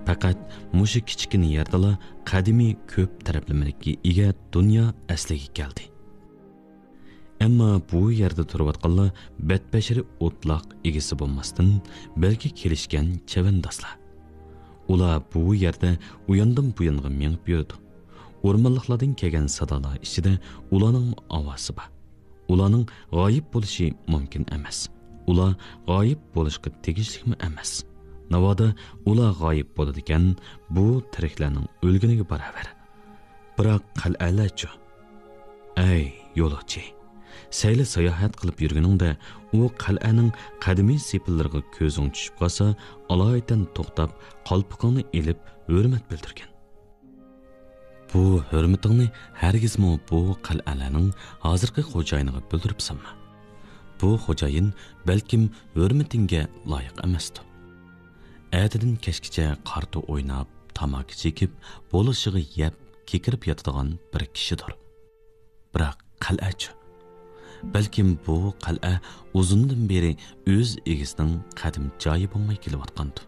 پەقەت مۇشۇ كىچىككىنە يەردىلا قەدىمىي كۆپ تەرەپلىمىلىككە ئىگە دۇنيا ئەسلىگە كەلدى. ئەمما بۇ يەردە تۇرۇۋاتقانلار بەتبەشىرە ئوتلاق ئىگىسى بولماستىن، بەلكى كېلىشكەن چەۋەندازلار. ئۇلار بۇ يەردە ئۇياندىن بۇيانغا مېڭىپ يۈرىدۇ. ئورمانلىقلاردىن كەلگەن سادالار ئىچىدە ئۇلارنىڭمۇ ئاۋازى بار. ئۇلارنىڭ غايىب بولۇشى مۇمكىن ئەمەس. ئۇلار غايىب بولۇشقا تېگىشلىكمۇ ئەمەس. ناۋادا ئۇلار غايىب بولىدىكەن، بۇ تىرىكلەرنىڭ ئۆلگىنىگە باراۋەر. بىراق قەلئەلەرچۇ؟ ئەي يولۇچى، سەيلە ساياھەت قىلىپ يۈرگىنىڭدە، ئۇ قەلئەنىڭ قەدىمىي سېپىللىرىغا كۆزۈڭ چۈشۈپ قالسا، ئالايىتەن توختاپ، قالپىقىڭنى ئېلىپ ھۆرمەت بىلدۈرگىن. بۇ ھۆرمىتىڭنى ھەرگىزمۇ بۇ قەلئەلەرنىڭ ھازىرقى خوجايىنىغا بىلدۈرۈپ سالما. بۇ خوجايىن بەلكىم ھۆرمىتىڭگە لايىق ئەمەستۇ. ئەتىدىن كەچكىچە قارتا ئويناپ، تاماكا چېكىپ، بولۇشىغا يەپ، كېكىرىپ ياتىدىغان بىر كىشىدۇر. بىراق قەلئەچۇ؟ بەلكىم بۇ قەلئە ئۇزۇندىن بېرى ئۆز ئىگىسىنىڭ قەدىمىي جايى بولماي كېلىۋاتقاندۇ.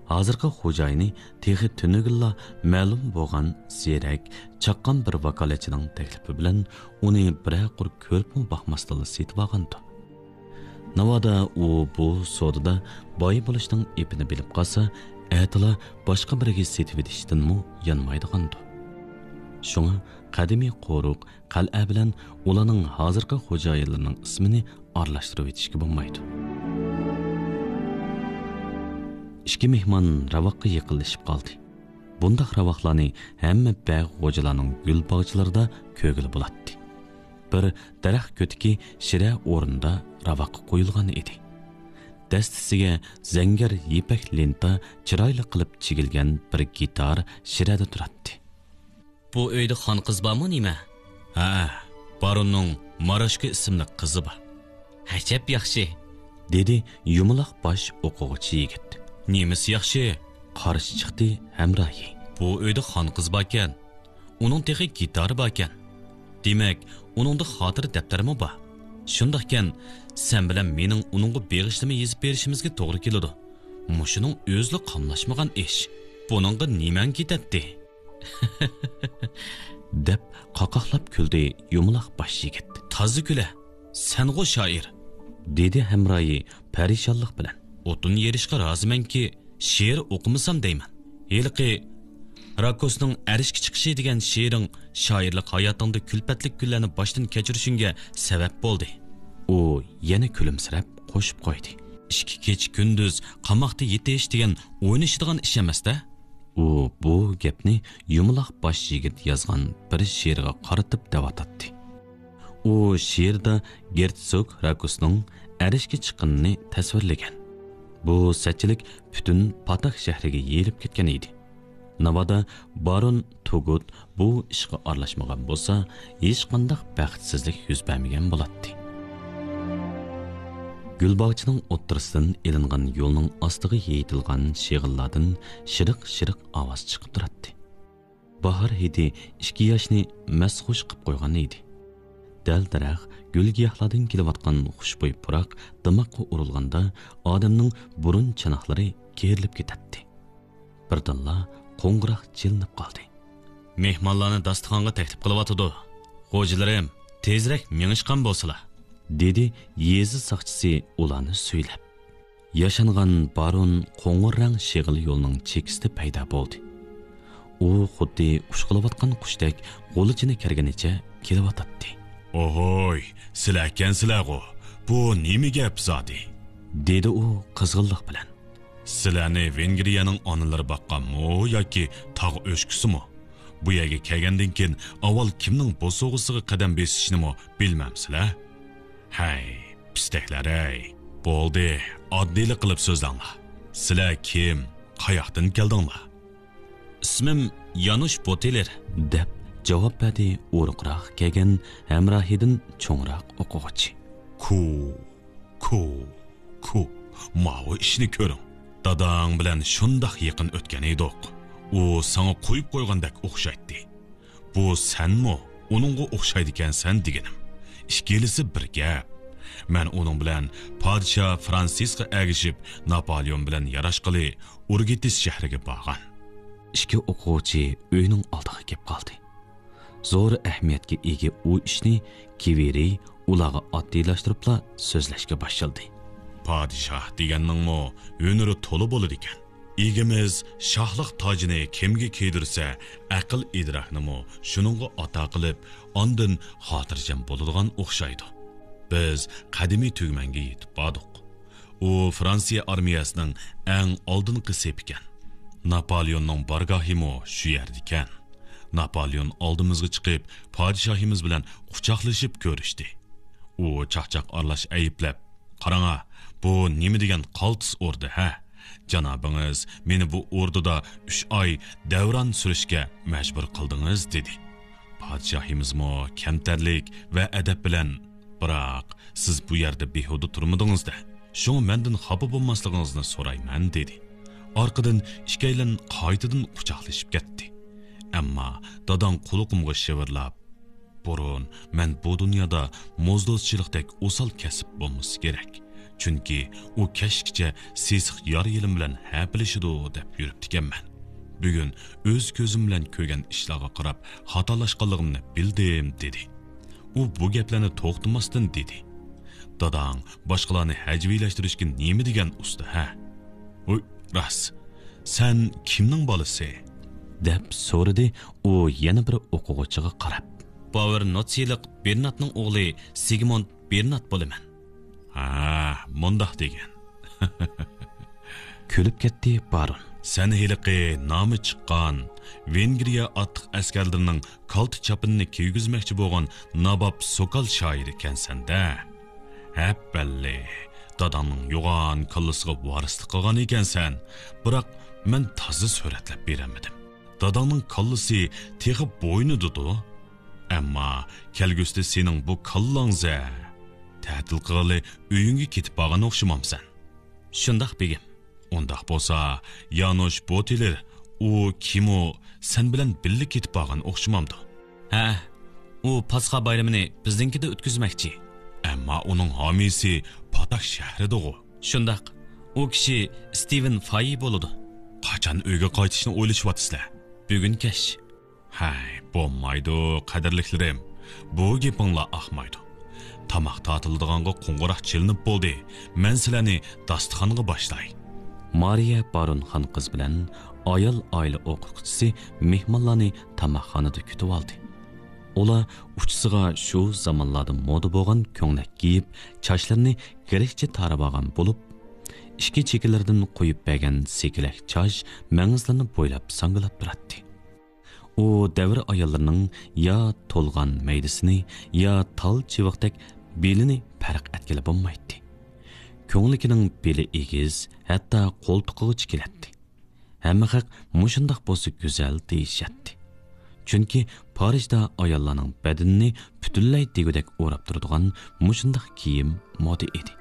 ھازىرقى خوجايىنى تېخى تۈنۈگۈنلا مەلۇم بولغان زېرەك، چاققان بىر ۋاكالەتچىنىڭ تەكلىپى بىلەن ئۇنى بىرەر قۇر كۆرۈپمۇ باقماستىنلا سېتىۋالغانىدۇ. ناۋادا ئۇ بۇ سودىدا باي بولۇشنىڭ ئېپىنى بىلىپ قالسا، ئەتىلا باشقا بىرىگە سېتىۋېتىشتىنمۇ يانمايدىغاندۇ. شۇڭا قەدىمىي قورۇق قەلئە بىلەن ئۇلارنىڭ ھازىرقى خوجايىنلىرىنىڭ ئىسمىنى ئارىلاشتۇرۇۋېتىشكە بولمايدۇ. ئىككى مېھمان راۋاققا يېقىنلىشىپ قالدى. بۇنداق راۋاقلارنى ھەممە بەگ غوجىلارنىڭ گۈل باغچىلىرىدا كۆرگىلى بولاتتى. بىر دەرەخ كۆتىكى شىرە ئورنىدا راۋاققا قويۇلغان ئىدى. دەستىسىگە زەڭگەر يىپەك لېنتا چىرايلىق قىلىپ چىگىلگەن بىر گىتار شىرەدە تۇراتتى. بۇ ئۆيدە خانقىز بارمۇ نېمە؟ ھە، باروننىڭ ماراشكا ئىسىملىك قىزى بار. ئەجەب ياخشى، دېدى يۇمىلاق باش ئوقۇغۇچى يىگىت. نېمىسى ياخشى؟ قارشى چىقتى ھەمراھى. بۇ ئۆيدە خانقىز باركەن، ئۇنىڭ تېخى گىتارى باركەن. دېمەك، ئۇنىڭدا خاتىرە دەپتەرمۇ بار. شۇنداقكەن، سەن بىلەن مېنىڭ ئۇنىڭغا بېغىشلىما يېزىپ بېرىشىمىزگە توغرا كېلىدۇ. مۇشۇنىڭ ئۆزىلا قاملاشمىغان ئىش. بۇنىڭغا نېمەڭ كېتەتتى؟ دەپ قاقاقلاپ كۈلدى يۇمىلاق باش يىگىت. تازا كۈلە، سەنغۇ شائىر، دېدى ھەمراھى پەرىشانلىق بىلەن. ئوتۇن يېرىشقا رازىمەنكى، شېئىر ئوقۇمىسام دەيمەن. ھېلىقى راكوسنىڭ ئەرشكە چىقىشى دېگەن شېئىرىڭ شائىرلىق ھاياتىڭدا كۈلپەتلىك كۈنلەرنى باشتىن كەچۈرۈشۈڭگە سەۋەب بولدى. ئۇ يەنە كۈلۈمسىرەپ قوشۇپ قويدى. ئىككى كېچە كۈندۈز قاماقتا يېتىش دېگەن ئوينىشىدىغان ئىش ئەمەس-دە. ئۇ بۇ گەپنى يۇمىلاق باش يىگىت يازغان بىر شېئىرغا قارىتىپ دەۋاتاتتى. ئۇ شېئىردا گېرتسوگ راكوسنىڭ ئەرشكە چىققىنىنى تەسۋىرلىگەن. بۇ سەتچىلىك پۈتۈن پاتاك شەھىرىگە يېيىلىپ كەتكەن ئىدى. ناۋادا بارون توگۇت بۇ ئىشقا ئارىلاشمىغان بولسا، ھېچقانداق بەختسىزلىك يۈز بەرمىگەن بولاتتى. گۈل باغچىنىڭ ئوتتۇرىسىدىن ئېلىنغان يولنىڭ ئاستىغا يېيىتىلغان شېغىللاردىن شىرىق-شىرىق ئاۋاز چىقىپ تۇراتتى. باھار ھىدى ئىككى ياشنى مەستخۇش قىپ قويغان ئىدى. دەل-دەرەخ، گۈل-گىياھلاردىن كېلىۋاتقان خۇشبۇي پۇراق دىماققا ئۇرۇلغاندا، ئادەمنىڭ بۇرۇن چاناقلىرى كېرىلىپ كېتەتتى. بىردىنلا قوڭغۇراق چېلىنىپ قالدى. مېھمانلارنى داستىخانغا تەكلىپ قىلىۋاتىدۇ. خوجىلىرىم، تېزرەك مېڭىشقان بولسىلا، دېدى يېزا ساقچىسى ئۇلارنى سۈيلەپ. ياشانغان بارون قوڭۇر رەڭ شېغىل يولنىڭ چېكىسىدە پەيدا بولدى. ئۇ خۇددى ئۇچقىلىۋاتقان قۇشتەك غۇلىچىنى كەرگىنىچە كېلىۋاتاتتى. ئوھوي، سىلەركەنسىلەرغۇ؟ بۇ نېمە گەپ زادى؟ دېدى ئۇ قىزغىنلىق بىلەن. سىلەرنى ۋېنگرىيەنىڭ ئانىلىرى باققانمۇ ياكى تاغ ئۆچكىسىمۇ؟ بۇ يەرگە كەلگەندىن كېيىن ئاۋۋال كىمنىڭ بوسۇغىسىغا قەدەم بېسىشنىمۇ بىلمەمسىلەر؟ ھەي، پىستەكلەر-ھەي! بولدى، ئاددىيلىق قىلىپ سۆزلەڭلار. سىلەر كىم؟ قاياقتىن كەلدىڭلار؟ ئىسمىم يانۇش بوتېلېر، دەپ جاۋاب بەردى ئورۇقراق كەلگەن ھەمراھىدىن چوڭراق ئوقۇغۇچى. كۇ، كۇ، كۇ، ماۋۇ ئىشنى كۆرۈڭ. داداڭ بىلەن شۇنداق يېقىن ئۆتكەن ئىدۇق. ئۇ ساڭا قويۇپ قويغاندەك ئوخشايتتى. بۇ سەنمۇ ئۇنىڭغا ئوخشايدىكەنسەن دېگىنىم. ئىككىلىسى بىر گەپ. مەن ئۇنىڭ بىلەن پادىشاھ فرانسىسقا ئەگىشىپ، ناپالېئون بىلەن ياراشقىلى ئۇرگېتىس شەھىرىگە بارغان. ئىككى ئوقۇغۇچى ئۆينىڭ ئالدىغا كېلىپ قالدى. زور ئەھمىيەتكە ئىگە ئۇ ئىشنى كىۋېرى ئۇلارغا ئاددىيلاشتۇرۇپلا سۆزلەشكە باشلىدى. پادىشاھ دېگەننىڭمۇ ھۈنىرى تولا بولىدىكەن. ئىگىمىز شاھلىق تاجىنى كىمگە كىيدۈرسە، ئەقىل ئىدراكنىمۇ شۇنىڭغا ئاتا قىلىپ، ئاندىن خاتىرجەم بولىدىغان ئوخشايدۇ. بىز قەدىمىي تۈگمەنگە يېتىپ باردۇق. ئۇ فرانسىيە ئارمىيەسىنىڭ ئەڭ ئالدىنقى سېپىكەن. ناپالېئوننىڭ بارگاھىمۇ شۇ يەردىكەن. ناپالېئون ئالدىمىزغا چىقىپ، پادىشاھىمىز بىلەن قۇچاقلىشىپ كۆرۈشتى. ئۇ چاقچاق ئارىلاش ئەيىبلەپ، «قاراڭا، بۇ نېمە دېگەن قالتىس ئوردا، ھە؟ جانابىڭىز مېنى بۇ ئوردىدا ئۈچ ئاي دەۋران سۈرۈشكە مەجبۇر قىلدىڭىز» دېدى. پادىشاھىمىزمۇ كەمتەرلىك ۋە ئەدەپ بىلەن، «بىراق، سىز بۇ يەردە بىھۇدە تۇرمىدىڭىز-دە، شۇڭا مەندىن خاپا بولماسلىقىڭىزنى سورايمەن» دېدى. ئارقىدىن ئىككىيلەن قايتىدىن قۇچاقلىشىپ كەتتى. ئەمما داداڭ قۇلىقىمغا شىۋىرلاپ، «بۇرۇن مەن بۇ دۇنيادا موزدوزچىلىقتەك ئوسال كەسىپ بولمىسا كېرەك. چۈنكى ئۇ كەچكىچە سېسىق يار-يېلىم بىلەن ھەپىلىشىدۇ» دەپ يۈرۈپتىكەنمەن. بۈگۈن ئۆز كۆزۈم بىلەن كۆرگەن ئىشلارغا قاراپ خاتالاشقانلىقىمنى بىلدىم، دېدى. ئۇ بۇ گەپلەرنى توختىماستىن دېدى. داداڭ باشقىلارنى ھەجۋىيلەشتۈرۈشكە نېمە دېگەن ئۇستا، ھە؟ ۋوي، راست. سەن كىمنىڭ بالىسى؟ دەپ سورىدى ئۇ يەنە بىر ئوقۇغۇچىغا قاراپ. باۋېر نوتسىيلىق بېرناتنىڭ ئوغلى سىگموند بېرنات بولىمەن. ھا، مۇنداق دېگىن. كۈلۈپ كەتتى بارون. سەن ھېلىقى نامى چىققان ۋېنگرىيە ئاتلىق ئەسكەرلىرىنىڭ كالتە چاپىنىنى كىيگۈزمەكچى بولغان ناباب سوكال شائىرى ئىكەنسەن-دە. ھەپپەللى، داداڭنىڭ يوغان كاللىسىغا ۋارىسلىق قىلغان ئىكەنسەن. بىراق مەن تازا سۈرەتلەپ بېرەلمىدىم. داداڭنىڭ كاللىسى تېخى بوينىدىدۇ. ئەمما كەلگۈسىدە سېنىڭ بۇ كاللاڭزە تەتىل قىلغىلى ئۆيۈڭگە كېتىپ بارغان ئوخشىمامسەن؟ شۇنداق، بېگىم. ئۇنداق بولسا، يانۇش بوتېلېر، ئۇ كىمۇ، سەن بىلەن بىللە كېتىپ بارغان ئوخشىمامدۇ؟ ھە، ئۇ پاسخا بايرىمىنى بىزنىڭكىدە ئۆتكۈزمەكچى. ئەمما ئۇنىڭ ھامىيسى پاتاك شەھىرىدىغۇ؟ شۇنداق، ئۇ كىشى ستىۋېن فايى بولىدۇ. قاچان ئۆيگە قايتىشنى ئويلىشىۋاتىسىلەر؟ بۈگۈن كەچ. ھەي، بولمايدۇ، قەدىرلىكلىرىم. بۇ گېپىڭلار ئاقمايدۇ. تاماق تارتىلىدىغانغا قوڭغۇراق چېلىنىپ بولدى. مەن سىلەرنى داستىخانغا باشلاي. مارىيە بارون خان قىز بىلەن ئايال ئائىلە ئوقۇتقۇچىسى مېھمانلارنى تاماقخانىدا كۈتۈۋالدى. ئۇلار ئۇچىسىغا شۇ زامانلاردا مودا بولغان كۆڭلەك كىيىپ، چاچلىرىنى گرېكچە تارىۋالغان بولۇپ، ئىككى چېكىلىرىدىن قويۇپ بەرگەن سېكىلەك چاچ مەڭزىلىرىنى بويلاپ ساڭگىلاپ تۇراتتى. ئۇ دەۋر ئاياللىرىنىڭ يا تولغان مەيدىسىنى، يا تال چىۋىقتەك بېلىنى پەرق ئەتكىلى بولمايتتى. كۆڭلىكىنىڭ بېلى ئېگىز، ھەتتا قولتۇقىغىچە كېلەتتى. ھەممە خەق مۇشۇنداق بولسا گۈزەل دېيىشەتتى. چۈنكى پارىژدا ئاياللارنىڭ بەدىنىنى پۈتۈنلەي دېگۈدەك ئوراپ تۇرىدىغان مۇشۇنداق كىيىم مودا ئىدى.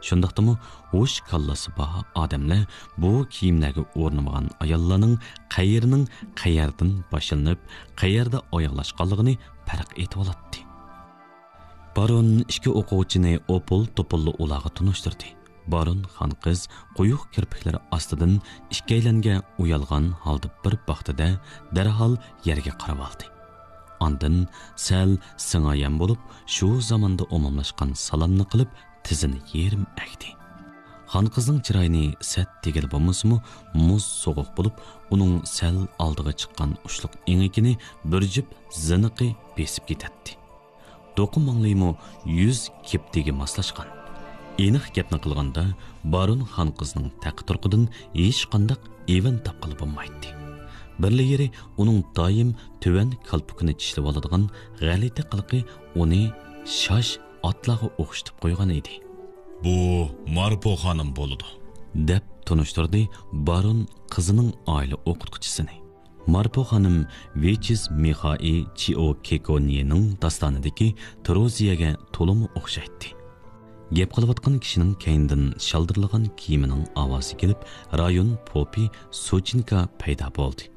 شۇنداقتىمۇ ھوش كاللىسى بار ئادەملەر بۇ كىيىملەرگە ئورنىمىغان ئاياللارنىڭ قەيىرىنىڭ قەيەردىن باشلىنىپ، قەيەردە ئاياغلاشقانلىقىنى پەرق ئېتىۋالاتتى. بارون ئىككى ئوقۇغۇچىنى ئوپۇل-توپۇللا ئۇلارغا تونۇشتۇردى. بارون خان قىز قويۇق كىرپىكلىرى ئاستىدىن ئىككىيلەنگە ئۇيالغان ھالدا بىر باقتى-دە، دەرھال يەرگە قارىۋالدى. ئاندىن سەل سىڭايان بولۇپ، شۇ زاماندا ئومۇملاشقان سالامنى قىلىپ، تىزىنى يېرىم ئەگدى. خان قىزنىڭ چىرايىنى سەت دېگىلى بولمىسىمۇ، مۇز سوغۇق بولۇپ، ئۇنىڭ سەل ئالدىغا چىققان ئۇچلۇق ئېڭىكىنى بىر جۈپ زىنىقى بېسىپ كېتەتتى. دوقا ماڭلىيىمۇ يۈز كېپتىگە ماسلاشقان. ئېنىق گەپنى قىلغاندا، بارون خان قىزنىڭ تەقى-تۇرقىدىن ھېچقانداق ئېۋەن تاپقىلى بولمايتتى. بىرلا يېرى ئۇنىڭ دائىم تۆۋەن كالپۇكىنى چىشلىۋالىدىغان غەلىتە قىلىقى ئۇنى شاش ئاتلارغا ئوخشىتىپ قويغان ئىدى. «بۇ مارپو خانىم بولىدۇ»، دەپ تونۇشتۇردى بارون قىزىنىڭ ئائىلە ئوقۇتقۇچىسىنى. مارپو خانىم ۋىچىز مىخائى چىئو كېكونيېنىڭ داستانىدىكى تروزىيەگە تولىمۇ ئوخشايتتى. گەپ قىلىۋاتقان كىشىنىڭ كەينىدىن شالدىرلىغان كىيىمىنىڭ ئاۋازى كېلىپ، رايون پوپى سۇچىنكا پەيدا بولدى.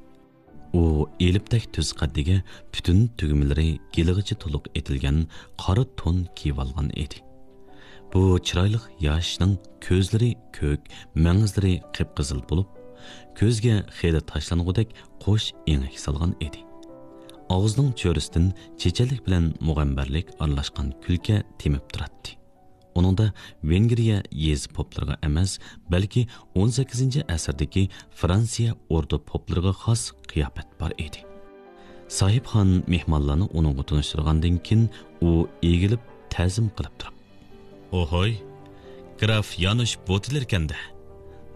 ئۇ ئېلىپتەك تۈز قەددىگە، پۈتۈن تۈگمىلىرى گېلىغىچە تولۇق ئېتىلگەن قارا تون كىيىۋالغان ئىدى. بۇ چىرايلىق ياشنىڭ كۆزلىرى كۆك، مەڭزىلىرى قىپقىزىل بولۇپ، كۆزگە خېلى تاشلانغۇدەك قوش ئېڭەك سالغان ئىدى. ئاغزىنىڭ چۆرىسىدىن چېچەنلىك بىلەن مۇغەمبەرلىك ئارىلاشقان كۈلكە تېمىپ تۇراتتى. ئۇنىڭدا ۋېنگرىيە يېزا پوپلىرىغا ئەمەس، بەلكى ئون سەككىزىنچى ئەسىردىكى فرانسىيە ئوردا پوپلىرىغا خاس قىياپەت بار ئىدى. ساھىبخان مېھمانلارنى ئۇنىڭغا تونۇشتۇرغاندىن كېيىن، ئۇ ئېگىلىپ تەزىم قىلىپ تۇرۇپ، «ئوھوي، گراف يانۇش بوتىلېركەندە.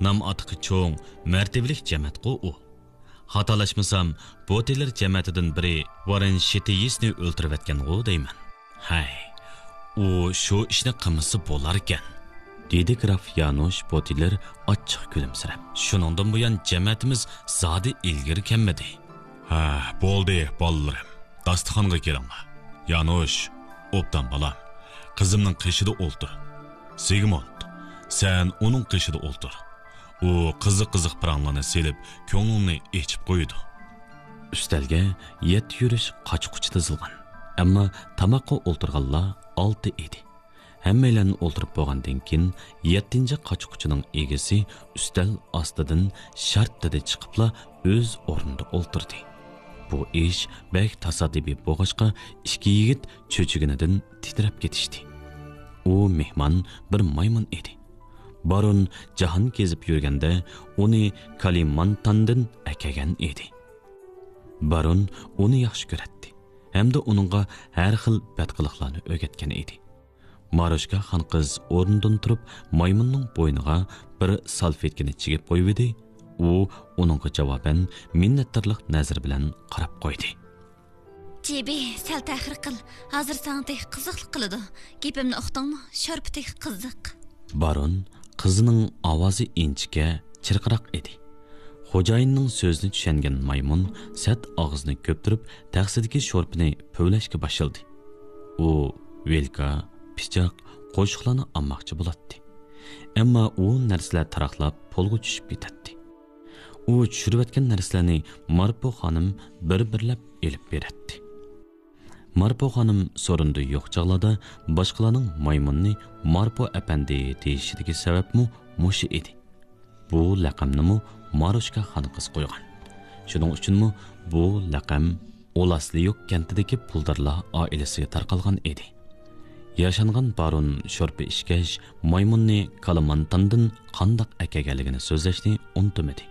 نام ئاتىقى چوڭ، مەرتىۋىلىك جەمەتقۇ ئۇ. خاتالاشمىسام، بوتىلېر جەمەتىدىن بىرى ۋاررېن شىتېيىسنى ئۆلتۈرۈۋەتكەنغۇ دەيمەن. ھەي، ئۇ شۇ ئىشنى قىلمىسا بولاركەن.» دېدى گراف يانۇش بوتىلېر ئاچچىق كۈلۈمسىرەپ. «شۇنىڭدىن بۇيان جەمەتىمىز زادى ئىلگىرى كەلمىدى.» «ھە، بولدى، بالىلىرىم، داستىخانغا كېلىڭلار. يانۇش، ئوبدان بالام، قىزىمنىڭ قېشىدا ئولتۇر. سىگمونت، سەن ئۇنىڭ قېشىدا ئولتۇر. ئۇ قىزىق-قىزىق پاراڭلارنى سېلىپ، كۆڭلۈڭنى ئېچىپ قويىدۇ.» ئۈستەلگە يەتتە يۈرۈش قاچا-قۇچا تىزىلغان، ئەمما تاماققا ئولتۇرغانلار ئالتە ئىدى. ھەممەيلەن ئولتۇرۇپ بولغاندىن كېيىن، يەتتىنچى قاچا-قۇچىنىڭ ئىگىسى ئۈستەل ئاستىدىن شارتتىدە چىقىپلا ئۆز ئورنىدا ئولتۇردى. بۇ ئىش بەك تاسادىپىي بولغاچقا، ئىككى يىگىت چۆچۈگىنىدىن تىترەپ كېتىشتى. ئۇ مېھمان بىر مايمۇن ئىدى. بارون جاھان كېزىپ يۈرگەندە ئۇنى كالىمانتاندىن ئەكەلگەن ئىدى. بارون ئۇنى ياخشى كۆرەتتى ھەمدە ئۇنىڭغا ھەر خىل بەتقىلىقلارنى ئۆگەتكەن ئىدى. ماروشكا خانقىز ئورنىدىن تۇرۇپ، مايمۇننىڭ بوينىغا بىر سالفېتكىنى چىگىپ قويۇۋىدى. ئۇ ئۇنىڭغا جاۋابەن مىننەتدارلىق نەزىرى بىلەن قاراپ قويدى. جىبى، سەل تەخىر قىل. ھازىر ساڭا تېخى قىزىقلىق قىلىدۇ. گېپىمنى ئۇقتۇڭمۇ؟ شورپا تېخى قىزىق. بارون قىزىنىڭ ئاۋازى ئىنچىكە، چىرقىراق ئىدى. خوجايىننىڭ سۆزىنى چۈشەنگەن مايمۇن سەت ئاغزىنى كۆپتۈرۈپ، تەخسىدىكى شورپىنى پۈۋلەشكە باشلىدى. ئۇ ۋىلكا، پىچاق، قوشۇقلارنى ئالماقچى بولاتتى. ئەمما ئۇ نەرسىلەر تاراقلاپ پولغا چۈشۈپ كېتەتتى. ئۇ چۈشۈرۈۋەتكەن نەرسىلەرنى مارپو خانىم بىر-بىرلەپ ئېلىپ بېرەتتى. مارپو خانىم سورۇندا يوق چاغلاردا باشقىلارنىڭ مايمۇننى مارپو ئەپەندى دېيىشىدىكى سەۋەبمۇ مۇشۇ ئىدى. بۇ لەقەمنىمۇ ماروشكا خانقىز قويغان. شۇنىڭ ئۈچۈنمۇ بۇ لەقەم ئولاسلىيۇك كەنتىدىكى پۇلدارلار ئائىلىسىگە تارقالغان ئىدى. ياشانغان بارون شورپا ئىچكەچ، مايمۇننى كالىمانتاندىن قانداق ئەكەلگەنلىكىنى سۆزلەشنى ئۇنتۇمىدى.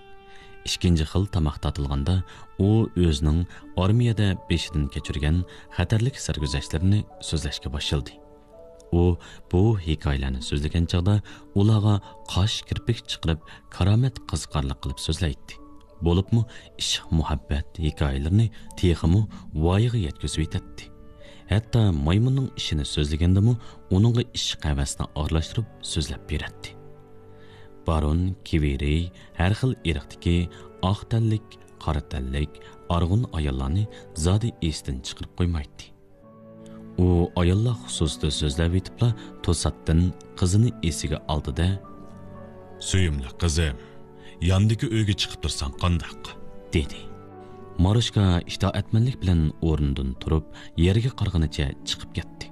ئىككىنچى خىل تاماق تارتىلغاندا، ئۇ ئۆزىنىڭ ئارمىيەدە بېشىدىن كەچۈرگەن خەتەرلىك سەرگۈزەشتلىرىنى سۆزلەشكە باشلىدى. ئۇ بۇ ھېكايىلەرنى سۆزلىگەن چاغدا ئۇلارغا قاش كىرپىك چىقىرىپ، كارامەت قىزىقارلىق قىلىپ سۆزلەيتتى. بولۇپمۇ ئىشق-مۇھەببەت ھېكايىلىرىنى تېخىمۇ ۋايىغا يەتكۈزۈۋېتەتتى. ھەتتا مايمۇننىڭ ئىشىنى سۆزلىگەندىمۇ ئۇنىڭغا ئىشق-ھەۋەسنى ئارىلاشتۇرۇپ سۆزلەپ بېرەتتى. بارون كىۋېرېي ھەر خىل ئىرقتىكى ئاق تەنلىك، قارا تەنلىك، ئارغۇن ئاياللارنى زادى ئېسىدىن چىقىرىپ قويمايتتى. ئۇ ئاياللار خۇسۇسىدا سۆزلەۋېتىپلا، توساتتىن قىزىنى ئېسىگە ئالدى-دە، «سۆيۈملۈك قىزىم، ياندىكى ئۆيگە چىقىپ تۇرساڭ قانداق؟» دېدى. ماروشكا ئىتائەتمەنلىك بىلەن ئورنىدىن تۇرۇپ، يەرگە قارىغىنىچە چىقىپ كەتتى.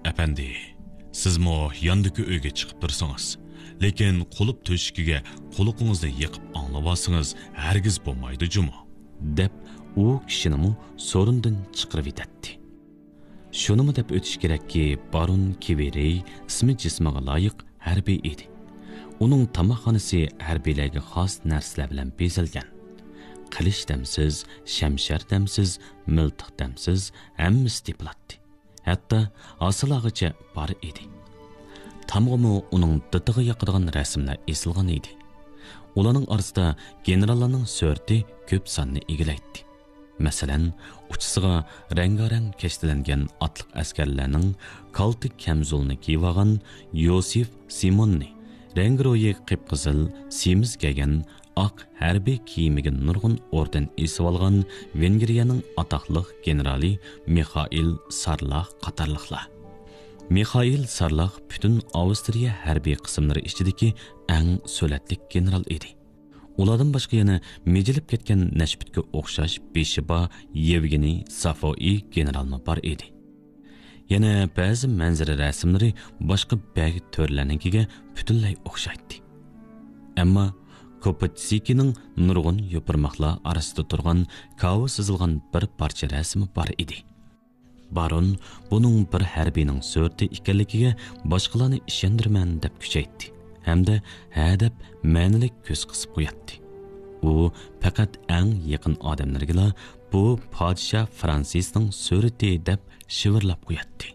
«ئەپەندى، سىزمۇ ياندىكى ئۆيگە چىقىپ تۇرسىڭىز، لېكىن قۇلۇپ تۆشۈكىگە قۇلىقىڭىزنى يېقىپ ئاڭلىۋالسىڭىز ھەرگىز بولمايدۇ جۇمۇ.» دەپ، ئۇ كىشىنىمۇ سورۇندىن چىقىرىۋېتەتتى. شۇنىمۇ دەپ ئۆتۈش كېرەككى، بارون كىۋېرېي ئىسمى جىسمىغا لايىق ھەربىي ئىدى. ئۇنىڭ تاماقخانىسى ھەربىيلەرگە خاس نەرسىلەر بىلەن بېزەلگەن. قىلىچ دەمسىز، شەمشەر دەمسىز، مىلتىق دەمسىز، ھەممىسى تېپىلاتتى. ھەتتا ھاسىلاغىچە بار ئىدى. تامغىمۇ ئۇنىڭ دىتىغا ياقىدىغان رەسىملەر ئېسىلغان ئىدى. ئۇلارنىڭ ئارىسىدا گېنېراللارنىڭ سۈرىتى كۆپ ساننى ئىگىلەيتتى. مەسىلەن، ئۇچىسىغا رەڭگارەڭ كەشتىلەنگەن ئاتلىق ئەسكەرلەرنىڭ كالتە كەمزۇلىنى كىيىۋالغان يوسىف سىموننى، رەڭگىرويى قىپقىزىل سېمىز كىيگەن، ئاق ھەربىي كىيىمىگە نۇرغۇن ئوردېن ئېسىۋالغان ۋېنگرىيەنىڭ ئاتاقلىق گېنېرالى مىخائىل سارلاخ قاتارلىقلار. مىخائىل سارلاخ پۈتۈن ئاۋسترىيە ھەربىي قىسىملىرى ئىچىدىكى ئەڭ سۆلەتلىك گېنېرال ئىدى. ئۇلاردىن باشقا يەنە مىجىلىپ كەتكەن نەشپۈتكە ئوخشاش بېشى بار يېۋگېنىي سافوئى گېنېرالمۇ بار ئىدى. يەنە بەزى مەنزىرە رەسىملىرى باشقا بەگ تۆرىلەرنىڭكىگە پۈتۈنلەي ئوخشايتتى. ئەمما كوپېتسكىنىڭ نۇرغۇن يوپۇرماقلار ئارىسىدا تۇرغان كاۋا سىزىلغان بىر پارچە رەسىمى بار ئىدى. بارون بۇنىڭ بىر ھەربىينىڭ سۈرىتى ئىكەنلىكىگە باشقىلارنى ئىشەندۈرىمەن دەپ كۈچەيتتى ھەمدە ھە دەپ مەنىلىك كۆز قىسىپ قوياتتى. ئۇ پەقەت ئەڭ يېقىن ئادەملىرىگىلا بۇ پادىشاھ فرانسىسنىڭ سۈرىتى دەپ شىۋىرلاپ قوياتتى.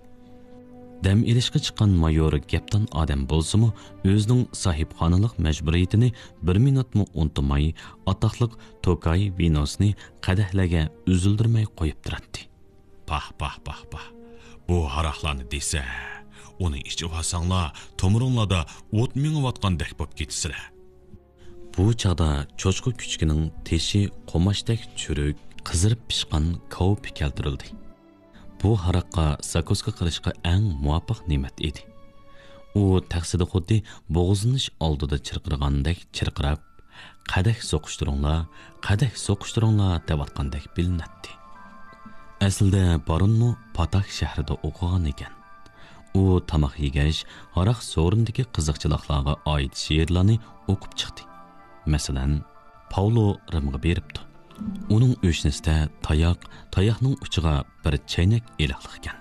دەم ئېلىشقا چىققان مايور گەپدان ئادەم بولسىمۇ، ئۆزىنىڭ ساھىبخانىلىق مەجبۇرىيىتىنى بىر مىنۇتمۇ ئۇنتۇماي، ئاتاقلىق توكاي ۋىنوسىنى قەدەھلەرگە ئۈزۈلدۈرمەي قويۇپ تۇراتتى. پاھ، پاھ، پاھ، پاھ. بۇ ھاراقلارنى دېسە، ئۇنى ئىچىۋالساڭلار، تومۇرۇڭلاردا ئوت مېڭىۋاتقاندەك بولۇپ كېتىسىلەر. بۇ چاغدا چوشقا كۈچۈكىنىڭ تېشى قوماچتەك چۈرۈك، قىزىرىپ پىشقان كاۋىپى كەلتۈرۈلدى. بۇ ھاراققا زاكۇسكا قىلىشقا ئەڭ مۇۋاپىق نېمەت ئىدى. ئۇ تەخسىدە خۇددى بوغۇزلىنىش ئالدىدا چىرقىرىغاندەك چىرقىراپ، «قەدەھ سوقۇشتۇرۇڭلار، قەدەھ سوقۇشتۇرۇڭلار» دەۋاتقاندەك بىلىنەتتى. ئەسلىدە بارونمۇ پاتاك شەھىرىدە ئوقۇغان ئىكەن. ئۇ تاماق يېگەچ، ھاراق سورۇندىكى قىزىقچىلىقلارغا ئائىت شېئىرلارنى ئوقۇپ چىقتى. مەسىلەن، پاۋلو رىمغا بېرىپتۇ. ئۇنىڭ ئۆشنىسىدە تاياق، تاياقنىڭ ئۇچىغا بىر چەينەك ئېلىقلىق ئىكەن.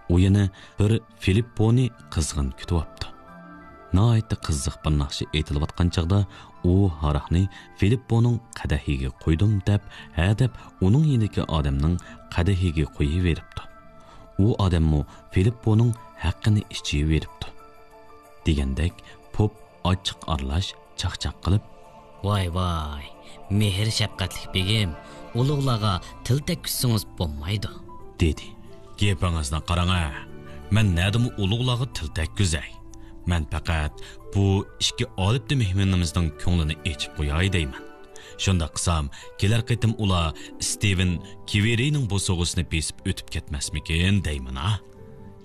ئۇ يەنە بىر فىلىپپونى قىزغىن كۈتۈۋاپتۇ. ناھايىتى قىزىق بىر ناخشا ئېيتىلىۋاتقان چاغدا ئۇ ھاراقنى فىلىپپونىڭ قەدىھىگە قۇيدۇم دەپ، ھە دەپ ئۇنىڭ يېنىدىكى ئادەمنىڭ قەدىھىگە قۇيۇۋېرىپتۇ. ئۇ ئادەممۇ فىلىپپونىڭ ھەققىنى ئىچىۋېرىپتۇ. دېگەندەك پوپ ئاچچىق ئارىلاش چاقچاق قىلىپ، «ۋاي، ۋاي، مېھىر شەپقەتلىك بېگىم، ئۇلۇغلارغا تىل تەگكۈزسىڭىز بولمايدۇ» دېدى. «گېپىڭىزنى قاراڭە، مەن نەدىمۇ ئۇلۇغلارغا تىل تەگكۈزەي؟ مەن پەقەت بۇ ئىككى ئالىپتە مېھمىنىمىزنىڭ كۆڭلىنى ئېچىپ قوياي دەيمەن. شۇنداق قىلسام، كېلەر قېتىم ئۇلار ستىۋېن كىۋېرىنىڭ بوسۇغىسىنى بېسىپ ئۆتۈپ كەتمەسمىكىن دەيمەن ھا.»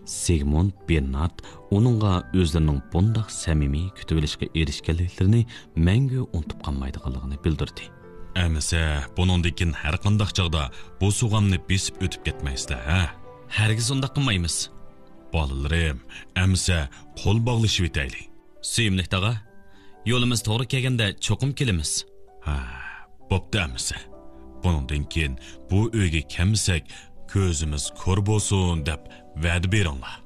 سىگمۇند بېرنارد ئۇنىڭغا ئۆزلىرىنىڭ بۇنداق سەمىمىي كۈتۈۋېلىشقا ئېرىشكەنلىكلىرىنى مەڭگۈ ئۇنتۇپ قالمايدىغانلىقىنى بىلدۈردى. «ئەمىسە، بۇنىڭدىن كېيىن ھەرقانداق چاغدا بوسۇغامنى بېسىپ ئۆتۈپ كەتمەيسىلەر، ھە؟» «ھەرگىز ئۇنداق قىلمايمىز.» «بالىلىرىم، ئەمىسە قول باغلىشىۋېتەيلى.» «سۆيۈملۈك تاغا، يولىمىز توغرا كەلگەندە چوقۇم كېلىمىز.» «ھە، بوپتۇ ئەمىسە. بۇنىڭدىن كېيىن بۇ ئۆيگە كەلمىسەك، كۆزىمىز كور بولسۇن دەپ ۋەدە بېرىڭلار.»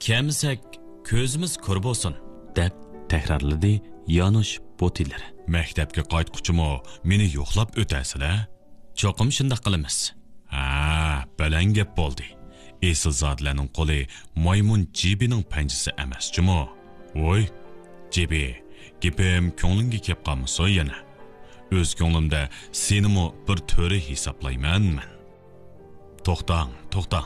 «كەلمىسەك، كۆزىمىز كور بولسۇن.» دەپ تەكرارلىدى يانۇش بوتىلېر. «مەكتەپكە قايتقۇچىمۇ مېنى يوقلاپ ئۆتەرسىلەر.» «چوقۇم شۇنداق قىلىمىز.» «ھە، بەلەن گەپ بولدى. ئېسىلزادىلەرنىڭ قولى مايمۇن جىبىنىڭ پەنجىسى ئەمەس جۇمۇ. ۋوي، جىبى، گېپىم كۆڭلۈڭگە كەپ قالمىسۇن يەنە. ئۆز كۆڭلۈمدە سېنىمۇ بىر تۆرە ھېسابلايمەن مەن.» «توختاڭ، توختاڭ.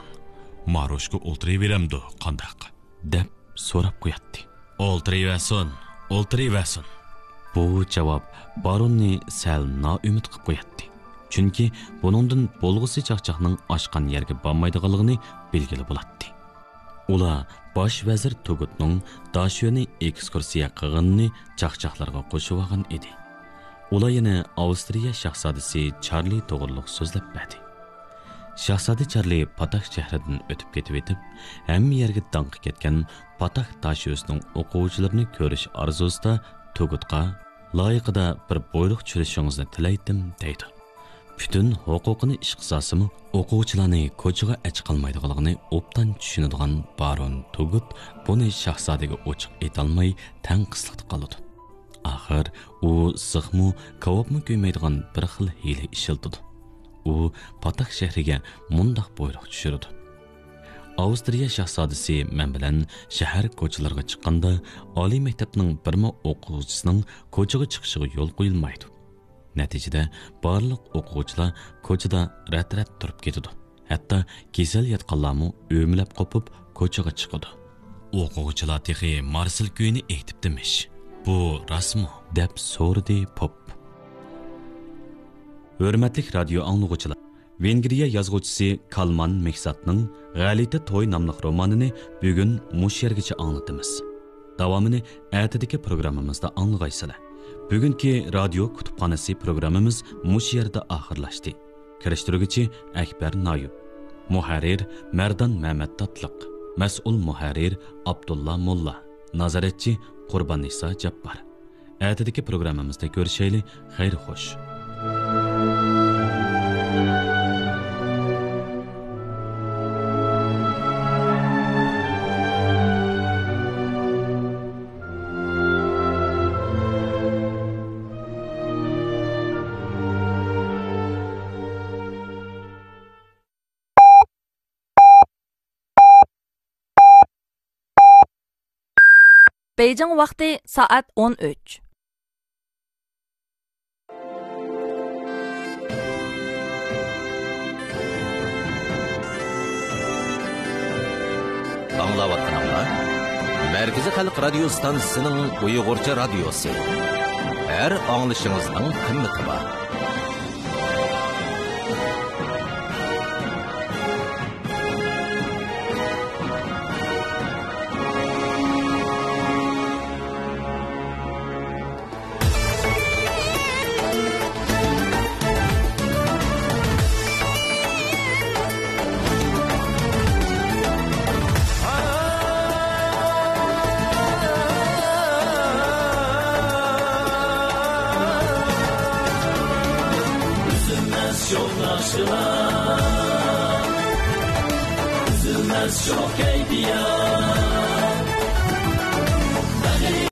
ماروشكا ئولتۇرۇۋېرەمدۇ قانداق؟» دەپ سوراپ قوياتتى. «ئولتۇرۇۋەرسۇن، ئولتۇرۇۋەرسۇن.» بۇ جاۋاب باروننى سەل نائۈمىد قىلىپ قوياتتى. چۈنكى بۇنىڭدىن بولغۇسى چاقچاقنىڭ ئاشقان يەرگە بارمايدىغانلىقىنى بىلگىلى بولاتتى. ئۇلار باش ۋەزىر تۇگۇتنىڭ داشۆنى ئېكسكۇرسىيە قىلغىنىنى چاقچاقلارغا قوشۇۋالغان ئىدى. ئۇلار يەنە ئاۋسترىيە شاھزادىسى چارلى توغرۇلۇق سۆزلەپ بەردى. شاھزادە چارلى پاتاك شەھىرىدىن ئۆتۈپ كېتىۋېتىپ، ھەممە يەرگە داڭقى كەتكەن پاتاك داشۆسىنىڭ ئوقۇغۇچىلىرىنى كۆرۈش ئارزۇسىدا تۇگۇتقا، «لايىقىدا بىر بۇيرۇق چۈشۈرۈشىڭىزنى تىلەيتتىم» دەيدۇ. پۈتۈن ھوقۇقىنى ئىشقا سالسىمۇ، ئوقۇغۇچىلارنى كوچىغا ئەچىقالمايدىغانلىقىنى ئوبدان چۈشىنىدىغان بارون تۇگۇت بۇنى شاھزادىگە ئوچۇق ئېيتالماي، تەڭ قىسلىقتا قالىدۇ. ئاخىر ئۇ زىخمۇ، كاۋاپمۇ كۆيمەيدىغان بىر خىل ھىيلە ئىشلىتىدۇ. ئۇ پاتاك شەھىرىگە مۇنداق بۇيرۇق چۈشۈرىدۇ: «ئاۋسترىيە شاھزادىسى مەن بىلەن شەھەر كوچىلىرىغا چىققاندا، ئالىي مەكتەپنىڭ بىرمۇ ئوقۇغۇچىسىنىڭ كوچىغا چىقىشىغا يول قويۇلمايدۇ. نەتىجىدە، بارلىق ئوقۇغۇچىلار كوچىدا رەت-رەت تۇرۇپ كېتىدۇ. ھەتتا كېسەل ياتقانلارمۇ ئۆمىلەپ قوپۇپ كوچىغا چىقىدۇ.» «ئوقۇغۇچىلار تېخى مارسېل كۈيىنى ئېيتىپتىمىش. بۇ راستمۇ؟» دەپ سورىدى پوپ. ھۆرمەتلىك رادىيو ئاڭلىغۇچىلار، ۋېنگرىيە يازغۇچىسى كالمان مېھساتنىڭ غەلىتە توي ناملىق رومانىنى بۈگۈن مۇشۇ يەرگىچە ئاڭلىتىمىز. داۋامىنى ئەتىدىكى پروگراممىمىزدا ئاڭلىغايسىلەر. بۈگۈنكى رادىيو كۇتۇپخانىسى پروگراممىمىز مۇشۇ يەردە ئاخىرلاشتى. كىرىشتۈرگۈچى ئەكبەر نايۇپ. مۇھەررىر مەردان مەمەت تاتلىق. مەسئۇل مۇھەررىر ئابدۇللا موللا، نازارەتچى قۇرباننىسا جاپپار. ئەتىدىكى پروگراممىمىزدا كۆرۈشەيلى، خەير خوش. بېيجىڭ ۋاقتى سائەت ئون ئۈچ. ئاڭلاۋاتقىنىڭلار مەركىزىي خەلق رادىيو ستانسىسىنىڭ ئۇيغۇرچە رادىيوسى. ھەر ئاڭلىشىڭىزنىڭ قىممىتى بار. ئۈزۈلمەس شوخ ناخشىلار، ئۈزۈلمەس شوخ